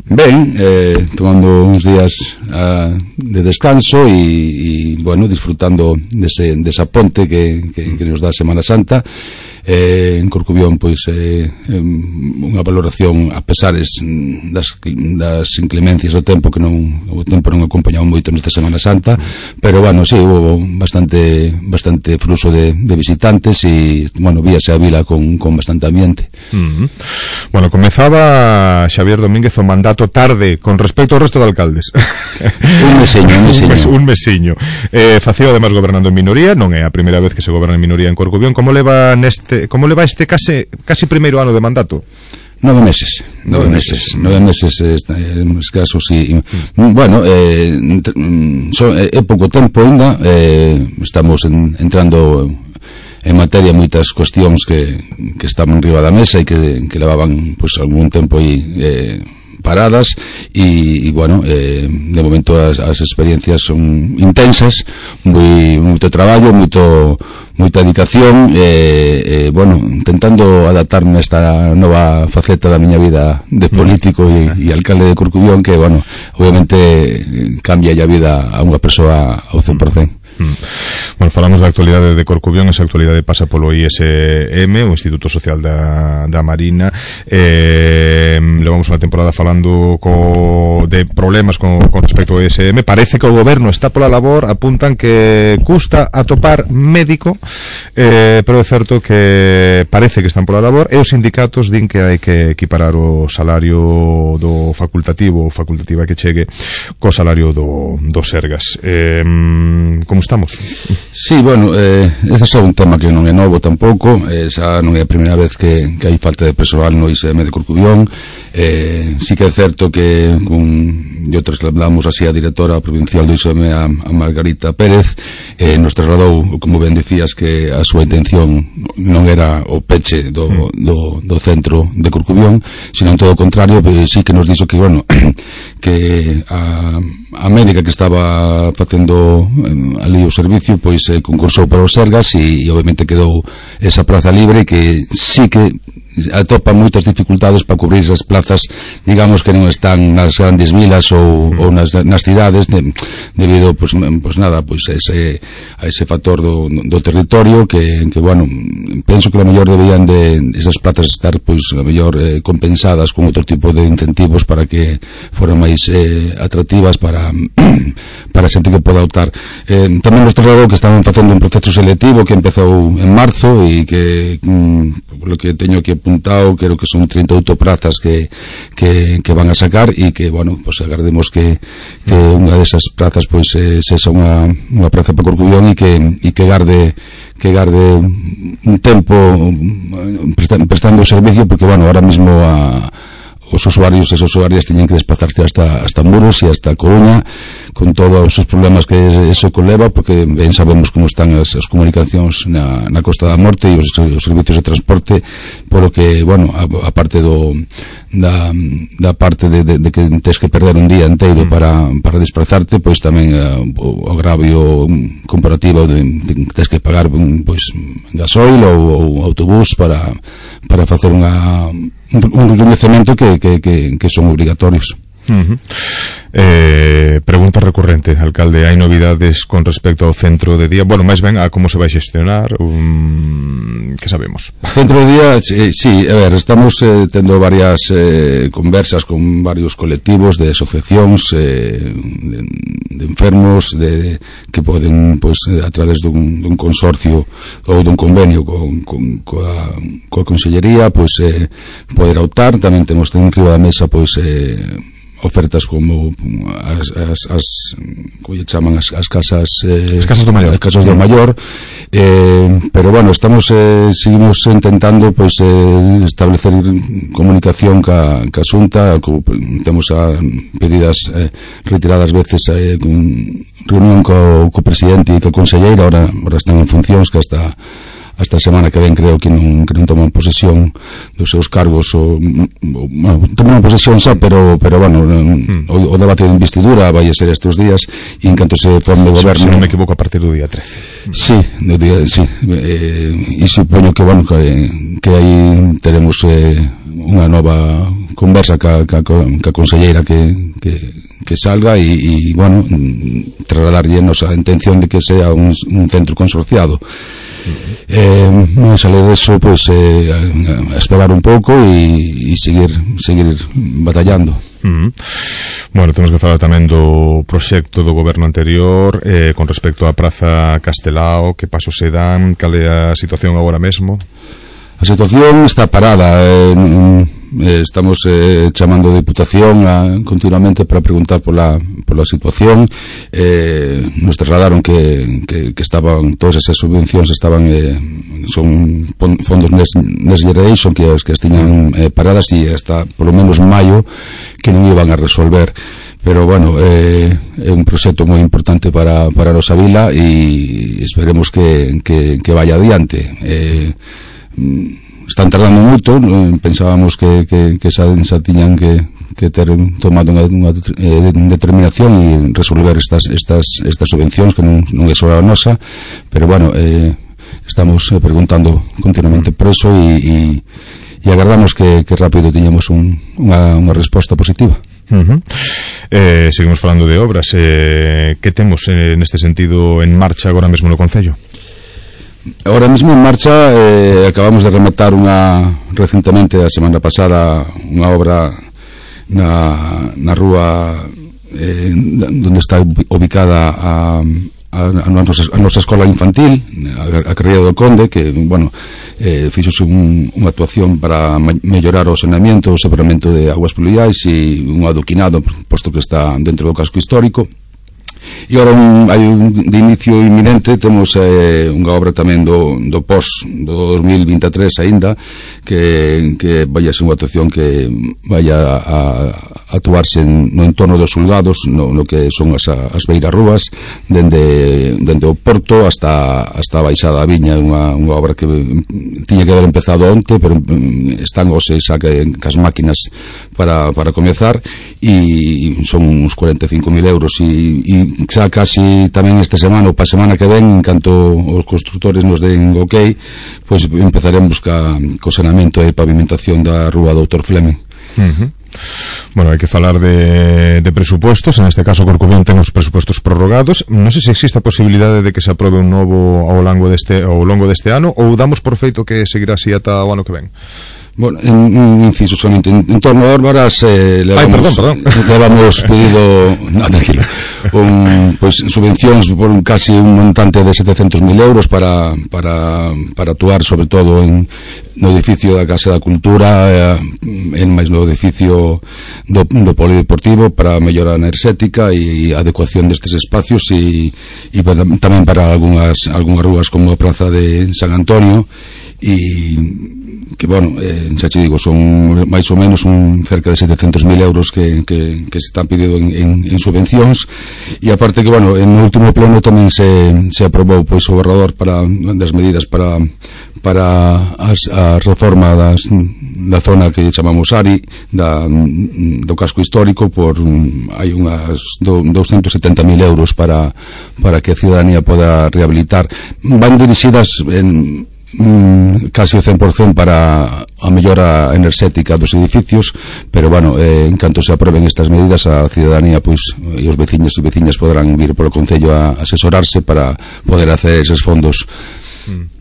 Ben, eh, tomando uns días uh, de descanso e, e bueno, disfrutando dese, desa ponte que, que, que nos dá a Semana Santa. eh, en Corcubión pois eh, unha valoración a pesares das, das inclemencias do tempo, que non o tempo non acompañaba moito nesta Semana Santa, pero bueno, sí, hubo bastante bastante fluxo de, de visitantes e bueno, víase a vila con, con bastante ambiente. Uh-huh. Bueno, comezaba Xavier Domínguez o mandato tarde con respecto ao resto de alcaldes. Un mesiño, un mesiño. Un, mes, un mesiño. Eh, facía además gobernando en minoría, non é a primeira vez que se goberna en minoría en Corcubión. Como leva neste, como leva este case casi primeiro ano de mandato? Nove meses, nove, nove meses, meses, nove meses eh, en escasos e, mm. bueno, eh, so, é eh, pouco tempo ainda, eh, estamos en, entrando en materia moitas cuestións que, que estaban riba da mesa e que, que levaban pues, algún tempo aí eh, paradas e, e bueno, eh, de momento as, as experiencias son intensas, moi, moito traballo, moito moita dedicación e, eh, bueno, intentando adaptarme a esta nova faceta da miña vida de político e, e alcalde de Corcubión, que bueno, obviamente cambia a vida a unha persoa ao cen por cento. Mm. Bueno, falamos da actualidade de Corcubión. Esa actualidade pasa polo I S M, o Instituto Social da, da Marina. eh, Levamos unha temporada falando co, de problemas con, con respecto ao I S M. Parece que o goberno está pola labor, apuntan que custa atopar médico, eh, pero é certo que parece que están pola labor, e os sindicatos din que hai que equiparar o salario do facultativo, o facultativa que chegue co salario do, do Sergas. eh, Como estamos? Sí, bueno, eh, ese é un tema que non é novo tampouco, eh, xa non é a primeira vez que, que hai falta de persoal no I S M de Corcubión. eh, sí que é certo que un, yo trasladamos así a directora provincial do I S M a, a Margarita Pérez, eh, nos trasladou, como ben dicías, que a súa intención non era o peche do, do, do centro de Corcubión, sino en todo o contrario, pues, sí que nos dixo que, bueno, que a, a médica que estaba facendo eh, ali o servicio, pois eh, concursou para os Sergas e, e obviamente quedou esa praza libre, que sí que atopa moitas dificultades para cubrir esas plazas, digamos, que non están nas grandes vilas ou, ou nas, nas cidades, de, debido, pues, pues nada, pues a ese, a ese factor do, do territorio que, que, bueno, penso que a mellor deberían de esas plazas estar, pues, a mellor eh, compensadas con outro tipo de incentivos para que foran máis eh, atractivas para para a xente que poda optar. Eh, tamén nos trasladou que estaban facendo un proceso selectivo que empezou en marzo e que, mm, por lo que teño aquí apuntado, creo que son trinta e oito prazas que, que, que van a sacar e que, bueno, pues agardemos que, que unha desas plazas pois pues, eh, sexa unha, unha praza para Corcubión e que, e que garde que garde un tempo prestando o servicio, porque, bueno, ahora mismo a os usuarios e as usuarias teñen que desplazarse hasta, hasta Muros e hasta Coruña, con todos os problemas que eso conleva, porque ben sabemos como están as, as comunicacións na, na Costa da Morte e os, os servicios de transporte, polo que, bueno, a, a parte do da, da parte de, de, de que tens que perder un día inteiro para, para desplazarte, pois tamén uh, o agravio comparativo de, de que tens que pagar pois gasoil ou, ou autobús para, para facer unha un, un reconhecemento que, que, que, que son obrigatorios. Uh-huh. eh, pregunta recurrente, alcalde, hai novidades con respecto ao centro de día? Bueno, máis ben a como se vai xestionar, um, que sabemos? Centro de día, sí, sí, a ver, estamos eh, tendo varias eh, conversas con varios colectivos de asociacións eh, de, de enfermos de, que poden, pois, a través dun, dun consorcio ou dun convenio con, con, coa, coa Consellería, pois eh, poder optar. Tamén temos en riba da mesa, pois eh, ofertas como as, as, as como lle chaman as, as casas eh, as casas do maior, as casas do maior eh, pero bueno, estamos eh, seguimos intentando pois eh, establecer comunicación ca, ca Xunta, co, temos a pedidas eh, retiradas veces eh, con reunión co, co presidente e co conselleira, ahora, ahora están en funcións, que hasta hasta a semana que ven creo que non, que non toman posesión dos seus cargos ou, ou bueno, toman posesión xa, pero, pero bueno, mm. o, o debate de investidura vai a ser estes días e en canto se forme o goberno, se non me equivoco, a partir do día trece. Sí, do día, sí eh, e supoño que, bueno, que, que aí teremos eh, unha nova conversa ca, ca, ca conselleira que, que, que salga e, e bueno, trasladarlle a nosa intención de que sea un, un centro consorciado. Eh, non sale deso, pois eh, a esperar un pouco e, e seguir seguir batallando. Uh-huh. Bueno, temos que falar tamén do proxecto do goberno anterior eh, con respecto á Praza Castelao. Que pasos se dan? Cal é a situación agora mesmo? A situación está parada, eh, eh, estamos eh, chamando a Diputación a, continuamente para preguntar pola, pola situación. Eh, nos trasladaron que, que, que estaban todas esas subvencións estaban eh, son fondos Next, Next Generation que as que estiñan eh, paradas e hasta polo menos maio que non iban a resolver. Pero bueno, eh, é un proxecto moi importante para, para a nosa vila e esperemos que, que, que vaya adiante. Eh, están tardando moito, pensábamos que, que, que xa, xa tiñan que, que ter tomado unha, unha eh, determinación e resolver estas, estas, estas subvencións que non, non é só a nosa, pero bueno, eh, estamos preguntando continuamente por eso e, e, e agardamos que, que rápido tiñamos un, unha, unha resposta positiva. Uh-huh. eh, seguimos falando de obras. eh, que temos eh, neste sentido en marcha agora mesmo no Concello? Ahora mismo en marcha eh, acabamos de rematar unha recentemente a semana pasada unha obra na, na rúa eh, donde está ubicada a, a, a, nosa, a nosa escola infantil, a, a Carreira do Conde, que bueno, eh, fixose un, unha actuación para mellorar o saneamento, o separamento de aguas pluviais e un adoquinado, posto que está dentro do casco histórico. E agora un, hai un de inicio inminente, temos eh, unha obra tamén do, do pos do dos mil vinte e tres aínda, que, que vai a ser unha actuación que vai a, a actuarse no entorno dos Sulgados, no, no que son as, as beirarrúas, dende, dende o porto hasta, hasta a baixada da viña. Unha, unha obra que tiña que haber empezado onte, pero están hoxe xa que as máquinas para, para comezar, e son uns cuarenta e cinco mil euros e, e xa casi tamén esta semana ou pa semana que ven, en canto os constructores nos den ok, pois empezaremos ca, co saneamento e pavimentación da rúa doutor Fleming. Uh-huh. Bueno, hai que falar de, de presupuestos. En este caso Corcubión ten os presupuestos prorrogados. Non sei se existe a posibilidade de que se aprobe un novo ao longo deste, ao longo deste ano, ou damos por feito que seguirá así ata o ano que ven. Bueno, en, un inciso solamente en, en torno a Órbaras eh, levamos, Ay, perdón, perdón. levamos pedido no, tranquilo un, pues, subvencións por un, casi un montante de setecentos mil euros para, para, para actuar sobre todo en, no edificio da Casa da Cultura, eh, en máis no edificio do, do Polideportivo, para mellora enerxética e adecuación destes espacios e, e para, tamén para algunhas, algunhas rúas como a Praza de San Antonio, e que bueno, eh, xa che digo, son máis ou menos un cerca de setecentos mil euros que, que, que se están pedido en, en, en subvencións, e aparte que, bueno, en o último pleno tamén se, se aprobou pois o borrador para, das medidas para para as, a reforma das, da zona que chamamos ARI, da, do casco histórico, por hai unhas do, doscientos setenta mil euros para, para que a ciudadanía poda rehabilitar. Van dirixidas en Mm, casi o cen por cento para a mellora enerxética dos edificios, pero bueno, eh, en canto se aprueben estas medidas, a ciudadanía pois, e os veciños e veciñas poderán vir polo Concello a asesorarse para poder hacer eses fondos. mm.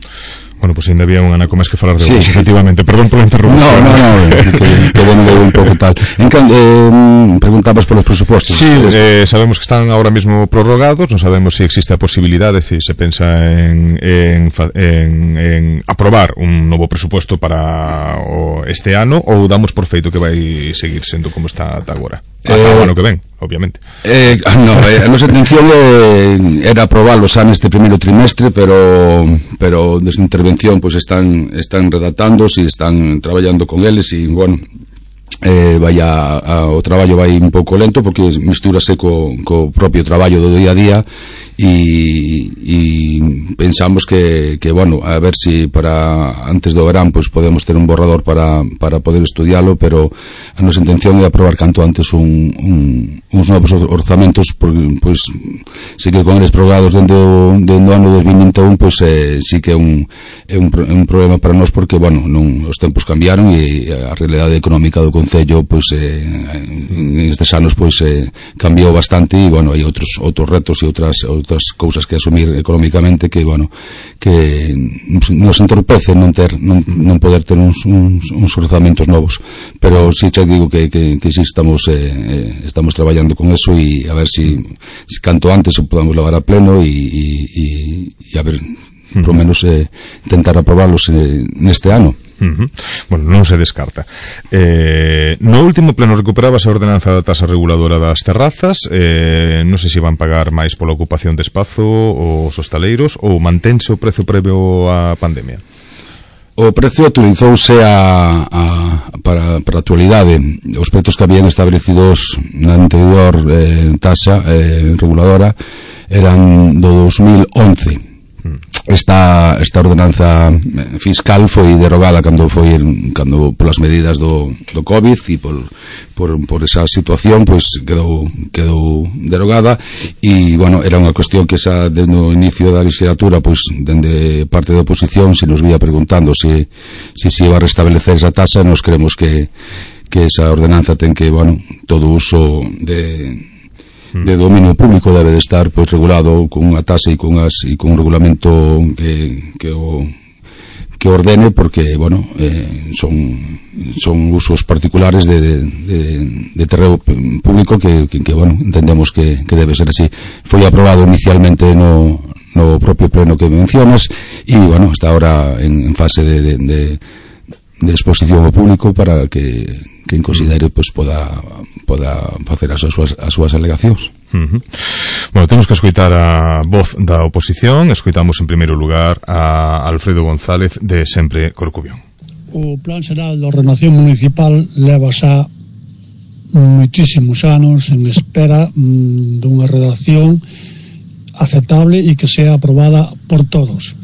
Bueno, pois pues, ainda había un anaco máis que falar de sí. vos, efectivamente. Perdón por la interrupción. No, no, no, que, que bueno, de un pouco tal. En can, eh, preguntabas polos presupostos. Sí, eh, sabemos que están ahora mismo prorrogados, non sabemos se si existe a posibilidade, se si se pensa en, en, en, en aprobar un novo presuposto para o este ano, ou damos por feito que vai seguir sendo como está ata agora. Ata eh, o ano que ven, obviamente. Eh, no, eh, a nosa intención eh, era aprobarlos xa neste primeiro trimestre, pero pero desde intervención pues están están redactándose e están traballando con eles e, bueno, eh, vai a, a, o traballo vai un pouco lento porque mistúrase co, co propio traballo do día a día e, e pensamos que, que, bueno, a ver si para antes do verán pues podemos ter un borrador para, para poder estudialo, pero a nosa intención é aprobar canto antes un, un, uns novos orzamentos, porque pues, si que con eles prorrogados dende o, dende o ano dos mil vinte e un pues eh, si que é un, é un, é un problema para nós porque, bueno, non, os tempos cambiaron e a realidade económica do Concello pues eh, en estes anos pues eh, cambiou bastante e, bueno, hai outros, outros retos e outras outras cousas que asumir económicamente que, bueno, que nos entorpece non ter non, non poder ter uns, uns, uns orzamentos novos, pero si xa digo que, que, que si estamos eh, estamos traballando con eso e a ver si, si canto antes o podamos levar a pleno e, e, e, e a ver, por lo menos eh, intentar aprobarlos eh, neste ano. Uh-huh. Bueno, non se descarta. Eh, no último pleno recuperabas a ordenanza da tasa reguladora das terrazas. Eh, non sei se van pagar máis pola ocupación de espazo os hostaleiros ou mantense o prezo previo á pandemia. O precio actualizouse a, a, para, para a actualidade. Os prezos que habían establecidos na anterior eh, tasa eh, reguladora eran do dos mil once. Esta, esta ordenanza fiscal foi derogada cando foi cando polas medidas do, do COVID e por, por, por esa situación pues quedou, quedou derogada e, bueno, era unha cuestión que xa desde o inicio da legislatura pues dende parte da oposición se nos vía preguntando se se se iba a restablecer esa tasa. Nos creemos que, que esa ordenanza ten que, bueno, todo uso de de dominio público debe de estar pois regulado con unha tasa e con, as, e con un regulamento que, que o que ordene porque, bueno, eh, son son usos particulares de, de, de, de terreno público que, que, que bueno, entendemos que, que debe ser así. Foi aprobado inicialmente no, no propio pleno que mencionas e, bueno, está ahora en, en fase de, de, de, de exposición ao público para que quen considere pois poda poda facer as súas as súas alegacións. Uh-huh. Bueno, temos que escoitar a voz da oposición. Escoitamos en primeiro lugar a Alfredo González de Sempre Corcubión. O Plan Xeral de Ordenación Municipal leva xa moitísimos anos en espera mm, dunha redacción aceptable e que sea aprobada por todos.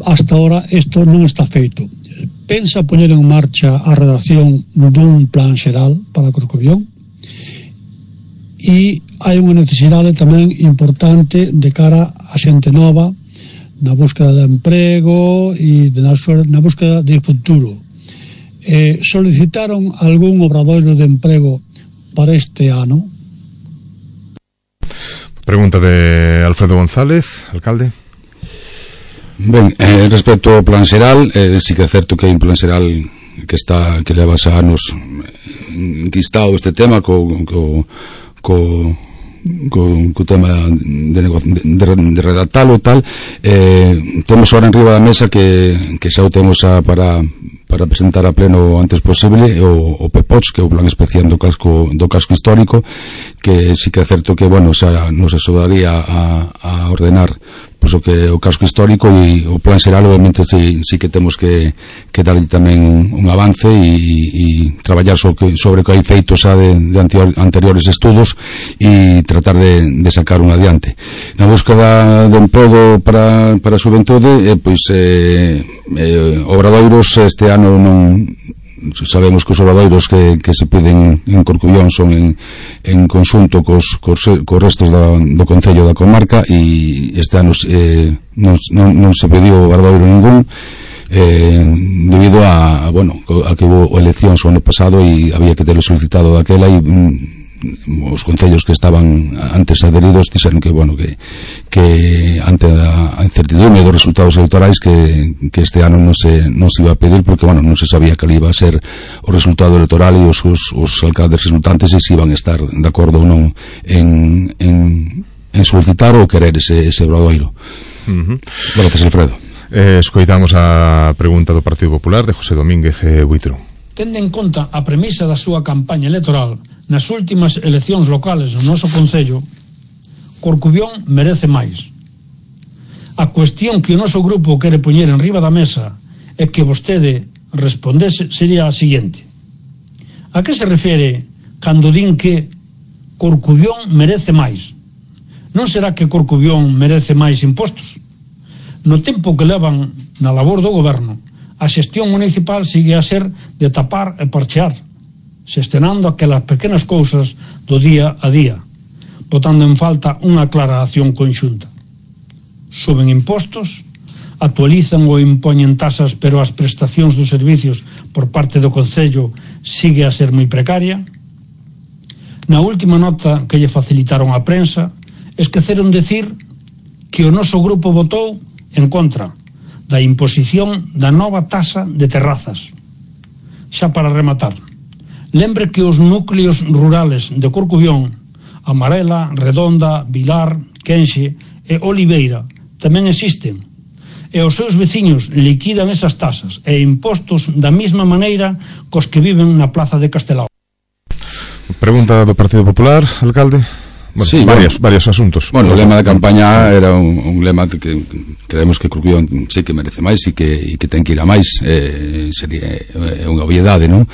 Hasta ahora isto non está feito. Pensa poñer en marcha a redacción dun plan xeral para Corcubión e hai unha necesidade tamén importante de cara a xente nova na búsqueda de emprego e de na, na búsqueda de futuro. Eh, solicitaron algún obradoiro de emprego para este ano? Pregunta de Alfredo González, alcalde. Ben, eh, respecto ao plan xeral, eh, sí que é certo que hai un plan xeral que está que leva xa anos enquistado este tema co co co, co, co tema de, de, de, de redactalo e tal. Eh, temos ahora en riba da mesa que, que xa o temos a, para para presentar a pleno o antes posible o, o P P O Ts, que é o plan especial do casco do casco histórico, que sí que é certo que, bueno, xa nos axudaría a, a ordenar pues, o que o casco histórico, e o plan xeral obviamente si, si que temos que, que darlle tamén un, un avance e, e traballar sobre, sobre o que hai feito xa de, de anteriores estudos e tratar de, de sacar un adiante. Na búsqueda de emprego para, para a xuventude, eh, pois eh, eh, obradoiros este ano non sabemos que os obradoiros que, que se piden en Corcubión son en, en conxunto cos, cos, cos restos da, do Concello da comarca, e este ano eh, non, non, non se pediu obradoiro ningún eh, debido a, a, bueno, a que hubo eleccións o ano pasado e había que terlo solicitado daquela, e mm, os concellos que estaban antes adheridos dixeron que, bueno, que, que ante a incertidumbre dos resultados electorais que, que este ano non se, non se iba a pedir, porque, bueno, non se sabía que iba a ser o resultado electoral e os, os, os alcaldes resultantes e se iban a estar de acordo ou non en, en, en solicitar ou querer ese, ese obradoiro. Uh-huh. Gracias, Alfredo. Eh, escoitamos a pregunta do Partido Popular de José Domínguez eh, Buitro. Tendo en conta a premisa da súa campaña electoral nas últimas eleccións locales no noso Concello, Corcubión merece máis. A cuestión que o noso grupo quere poñer en riba da mesa e que vostede respondese sería a seguinte: a que se refere cando din que Corcubión merece máis? Non será que Corcubión merece máis impostos? No tempo que levan na labor do goberno, a xestión municipal sigue a ser de tapar e parchear, xestionando aquelas pequenas cousas do día a día, botando en falta unha clara acción conxunta. Suben impostos, actualizan ou impoñen tasas, pero as prestacións dos servicios por parte do Concello sigue a ser moi precaria. Na última nota que lle facilitaron a prensa, esqueceron decir que o noso grupo votou en contra da imposición da nova tasa de terrazas. Xa para rematar, lembre que os núcleos rurales de Corcubión, Amarela, Redonda, Vilar, Quenxe e Oliveira tamén existen, e os seus veciños liquidan esas tasas e impostos da mesma maneira cos que viven na plaza de Castelao. Pregunta do Partido Popular, alcalde. Bueno, sí, varios, bueno, varios asuntos. Bueno, o lema da campaña era un, un lema que creemos que Corcubión sí que merece máis e que, e que ten que ir a máis, eh, sería eh, unha obviedade, non?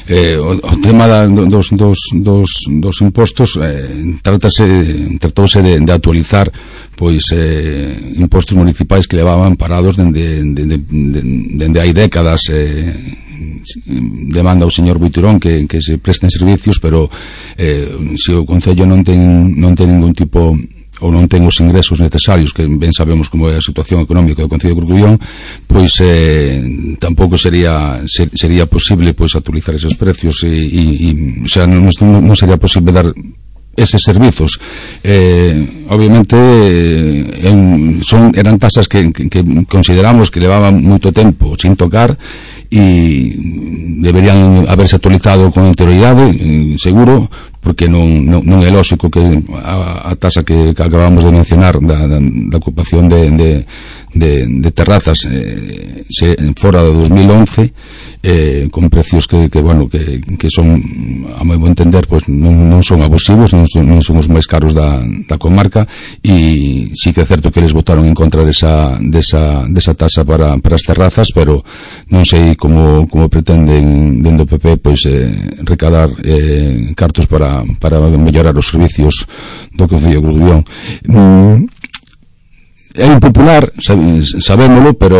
Eh, o, o tema da, dos, dos, dos, dos impostos eh, trátase, tratouse de, de actualizar pois eh, impostos municipais que levaban parados dende, dende, dende, dende hai décadas. eh, demanda o señor Buiturón que, que se presten servicios, pero eh, se o Concello non ten, non ten ningún tipo ou non ten os ingresos necesarios, que ben sabemos como é a situación económica do Concello de Corcubión, pois eh, tampouco sería ser, sería posible pois actualizar esos precios e, e, e o sea, non, non sería posible dar eses servizos. Eh, obviamente eh, son, eran tasas que, que, que consideramos que levaban moito tempo sin tocar e deberían haberse actualizado con anterioridade, seguro, porque non, non, non é lógico que a, a tasa que, que acabamos de mencionar da, da, da ocupación de, de, de, de terrazas eh, se, fora de dos mil once eh, con precios que, que bueno que, que son, a meu entender, pues, non, non son abusivos, non son, non son os máis caros da, da comarca, e sí que é certo que eles votaron en contra desa, desa, desa tasa para, para as terrazas, pero non sei como, como pretenden dentro do P P pois eh, recadar eh, cartos para, para mellorar os servicios do Concello de Corcubión. mm, É impopular, sabémolo, pero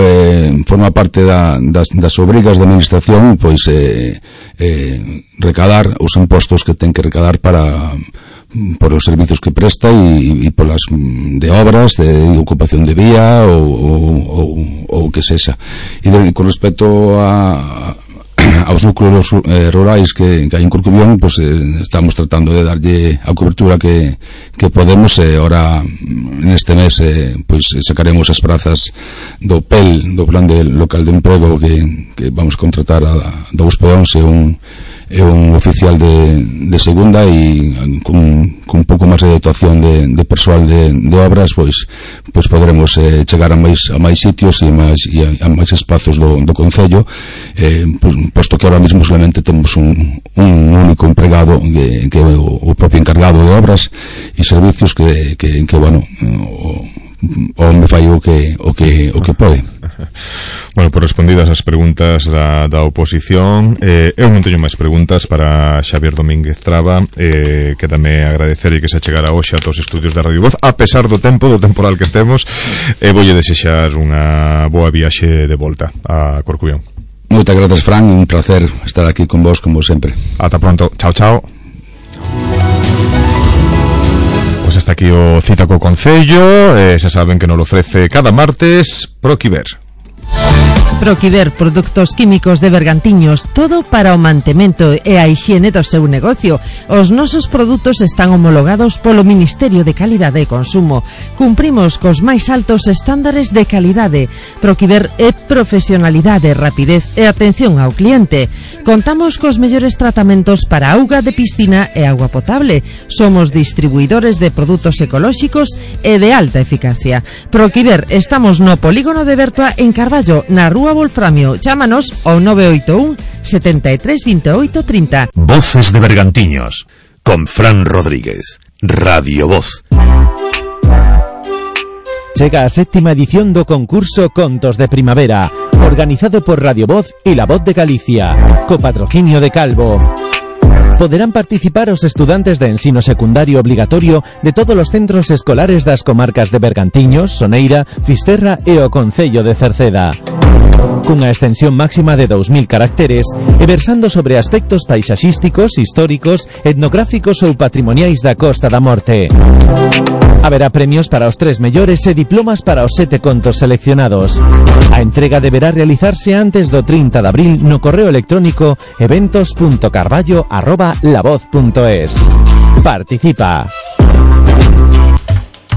eh, forma parte da, das, das obrigas da administración pois eh, eh, recadar os impostos que ten que recadar para por os servicios que presta e, e polas de obras, de, de ocupación de vía ou, ou, ou, ou que sexa. E de, con respecto a aos núcleos eh, rurais que, que hai en Corcubión, pues, eh, estamos tratando de darlle a cobertura que, que podemos. E eh, ora neste mes eh, pues, sacaremos as prazas do P E L, do Plan de Local de Emprego, que, que vamos contratar a, a dous peóns e un é un oficial de, de segunda, e con, con un pouco máis de dotación de, de persoal de, de obras, pois, pois podremos eh, chegar a máis, a máis sitios e, máis, e a, a máis espazos do, do Concello, eh, pois, posto que ahora mismo solamente temos un, un único empregado que, que é o, o propio encargado de obras e servicios que, que, que bueno, o, o me fai o que o que o que pode. Bueno, por respondidas as preguntas da, da oposición, eh, eu non teño máis preguntas para Xavier Domínguez Traba. eh, quédame agradecer e que se achegara hoxe a todos os estudios de Radio Voz, a pesar do tempo, do temporal que temos, e voulle desexar unha boa viaxe de volta a Corcubión. Moitas grazas, Fran, un placer estar aquí con vos como sempre. Ata pronto, chao, chao. Pois hasta aquí o Cita co Concello. eh, xa saben que nos lo ofrece cada martes Proquiver. Proquiver, produtos químicos de Bergantiños, todo para o mantemento e a hixiene do seu negocio. Os nosos produtos están homologados polo Ministerio de Calidade e Consumo. Cumprimos cos máis altos estándares de calidade. Proquiver é profesionalidade, rapidez e atención ao cliente. Contamos cos mellores tratamentos para auga de piscina e auga potable. Somos distribuidores de produtos ecolóxicos e de alta eficacia. Proquiver, estamos no polígono de Bertua en Carballo, na Rúa Wolframio. Chámanos ao nove oito un, setenta e tres, veintiocho, treinta. Voces de Bergantiños, con Fran Rodríguez, Radio Voz. Chega a séptima edición do concurso Contos de Primavera, organizado por Radio Voz e La Voz de Galicia, co patrocinio de Calvo. Poderán participar os estudantes de ensino secundario obligatorio de todos os centros escolares das comarcas de Bergantiños, Soneira, Fisterra e o Concello de Cerceda. Cunha extensión máxima de dous mil caracteres e versando sobre aspectos paisaxísticos, históricos, etnográficos ou patrimoniais da Costa da Morte. Haberá premios para os tres mellores e diplomas para os sete contos seleccionados. A entrega deberá realizarse antes do trinta de abril no correo electrónico eventos punto carballo arroba lavoz punto es. Participa.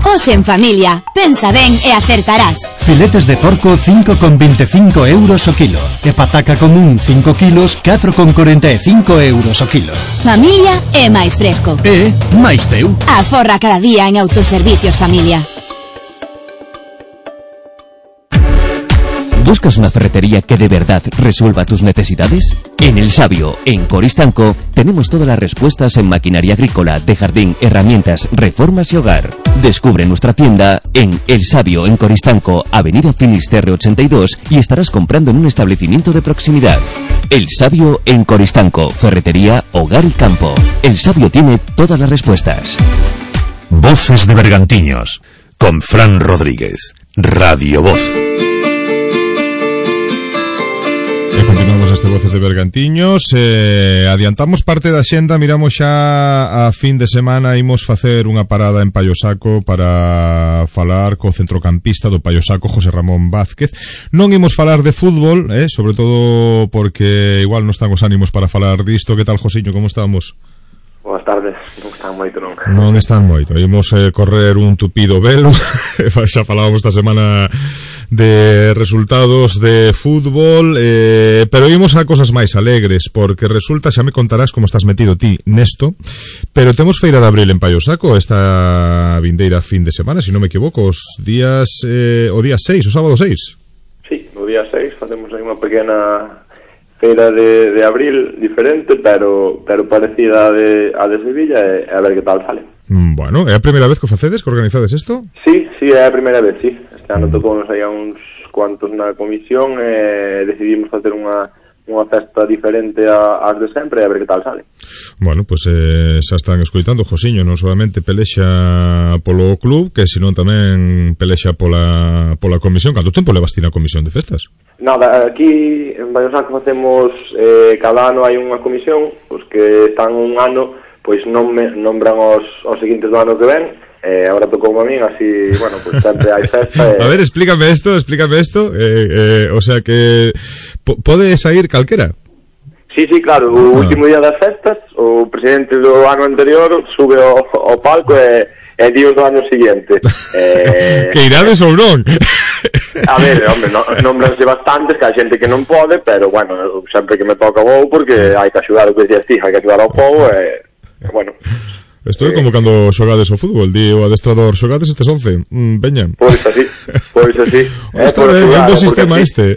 Os en familia, pensa ben e acertarás. Filetes de porco cinco con veinticinco euros o kilo e pataca común cinco kilos catro con cuarenta e cinco euros o kilo. Familia é máis fresco. E máis teu. Aforra cada día en Autoservicios Familia. ¿Buscas una ferretería que de verdad resuelva tus necesidades? En El Sabio, en Coristanco, tenemos todas las respuestas en maquinaria agrícola, de jardín, herramientas, reformas y hogar. Descubre nuestra tienda en El Sabio, en Coristanco, Avenida Finisterre ochenta y dos, y estarás comprando en un establecimiento de proximidad. El Sabio, en Coristanco, ferretería, hogar y campo. El Sabio tiene todas las respuestas. Voces de Bergantiños, con Fran Rodríguez, Radio Voz. E continuamos este Voces de Bergantiños. eh, Adiantamos parte da xenda. Miramos xa a fin de semana. Imos facer unha parada en Paiosaco para falar co centrocampista do Paiosaco, José Ramón Vázquez. Non imos falar de fútbol, eh, sobre todo porque igual non están os ánimos para falar disto. Que tal, Josiño, como estamos? Boas tardes, non están moito, non. Non están moito. Imos eh, correr un tupido velo. Xa falábamos esta semana de resultados de fútbol, eh, pero imos a cosas máis alegres, porque resulta, xa me contarás como estás metido ti nesto, pero temos feira de abril en Paiosaco esta vindeira fin de semana, se si non me equivoco, os días eh, o día seis, o sábado seis. Sí, o día seis facemos aí unha pequena feira de, de abril diferente, pero pero parecida a de, a de Sevilla, e a ver que tal sale. Bueno, é a primeira vez que o facedes, que organizades isto? Sí, sí, é a primeira vez, sí. Este ano mm. tocounos aí a uns cuantos na comisión e decidimos facer unha unha festa diferente a, as de sempre e a ver que tal sale. Bueno, pois pues, eh, xa están escoitando. Josiño non solamente pelexa polo club, que senón tamén pelexa pola, pola comisión. Canto tempo levas ti na comisión de festas? Nada, aquí en Paiosaco facemos eh, cada ano hai unha comisión, os que están un ano pois non me, nombran os, os seguintes do ano que ven. Eh, ahora tocou a min, así, bueno, pues sempre hai festa. Eh. A ver, explícame esto, explícame esto. Eh, eh, o sea que pode sair calquera. Sí, sí, claro, o ah. último día das festas, o presidente do ano anterior sube ao, ao palco e, e dios do ano seguinte. Eh, que irades ou non? A ver, hombre, no, nombranse bastantes, que hai xente que non pode, pero, bueno, sempre que me toca vou, porque hai que axudar o que decías ti, hai que axudar ao povo, e, eh, bueno... Isto é como cando xogades o fútbol, di o adestrador, xogades estes once, mm, veña. Pois así, pois así. Está ben, é un bo sistema este.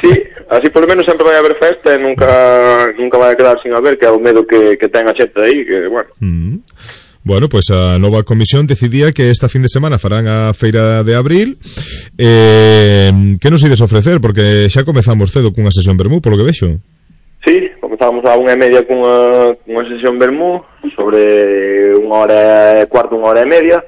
Sí, así por lo menos sempre vai haber festa e nunca nunca vai a quedar sin haber, que é o medo que, que ten a xente aí, que, bueno. Mm. Bueno, pois pues a nova comisión decidía que esta fin de semana farán a feira de abril. Eh, que nos ides ofrecer? Porque xa comezamos cedo cunha sesión vermú, polo que vexo. Sí, comezamos a unha e media cunha, cunha sesión vermú, sobre unha hora e cuarto, unha hora e media.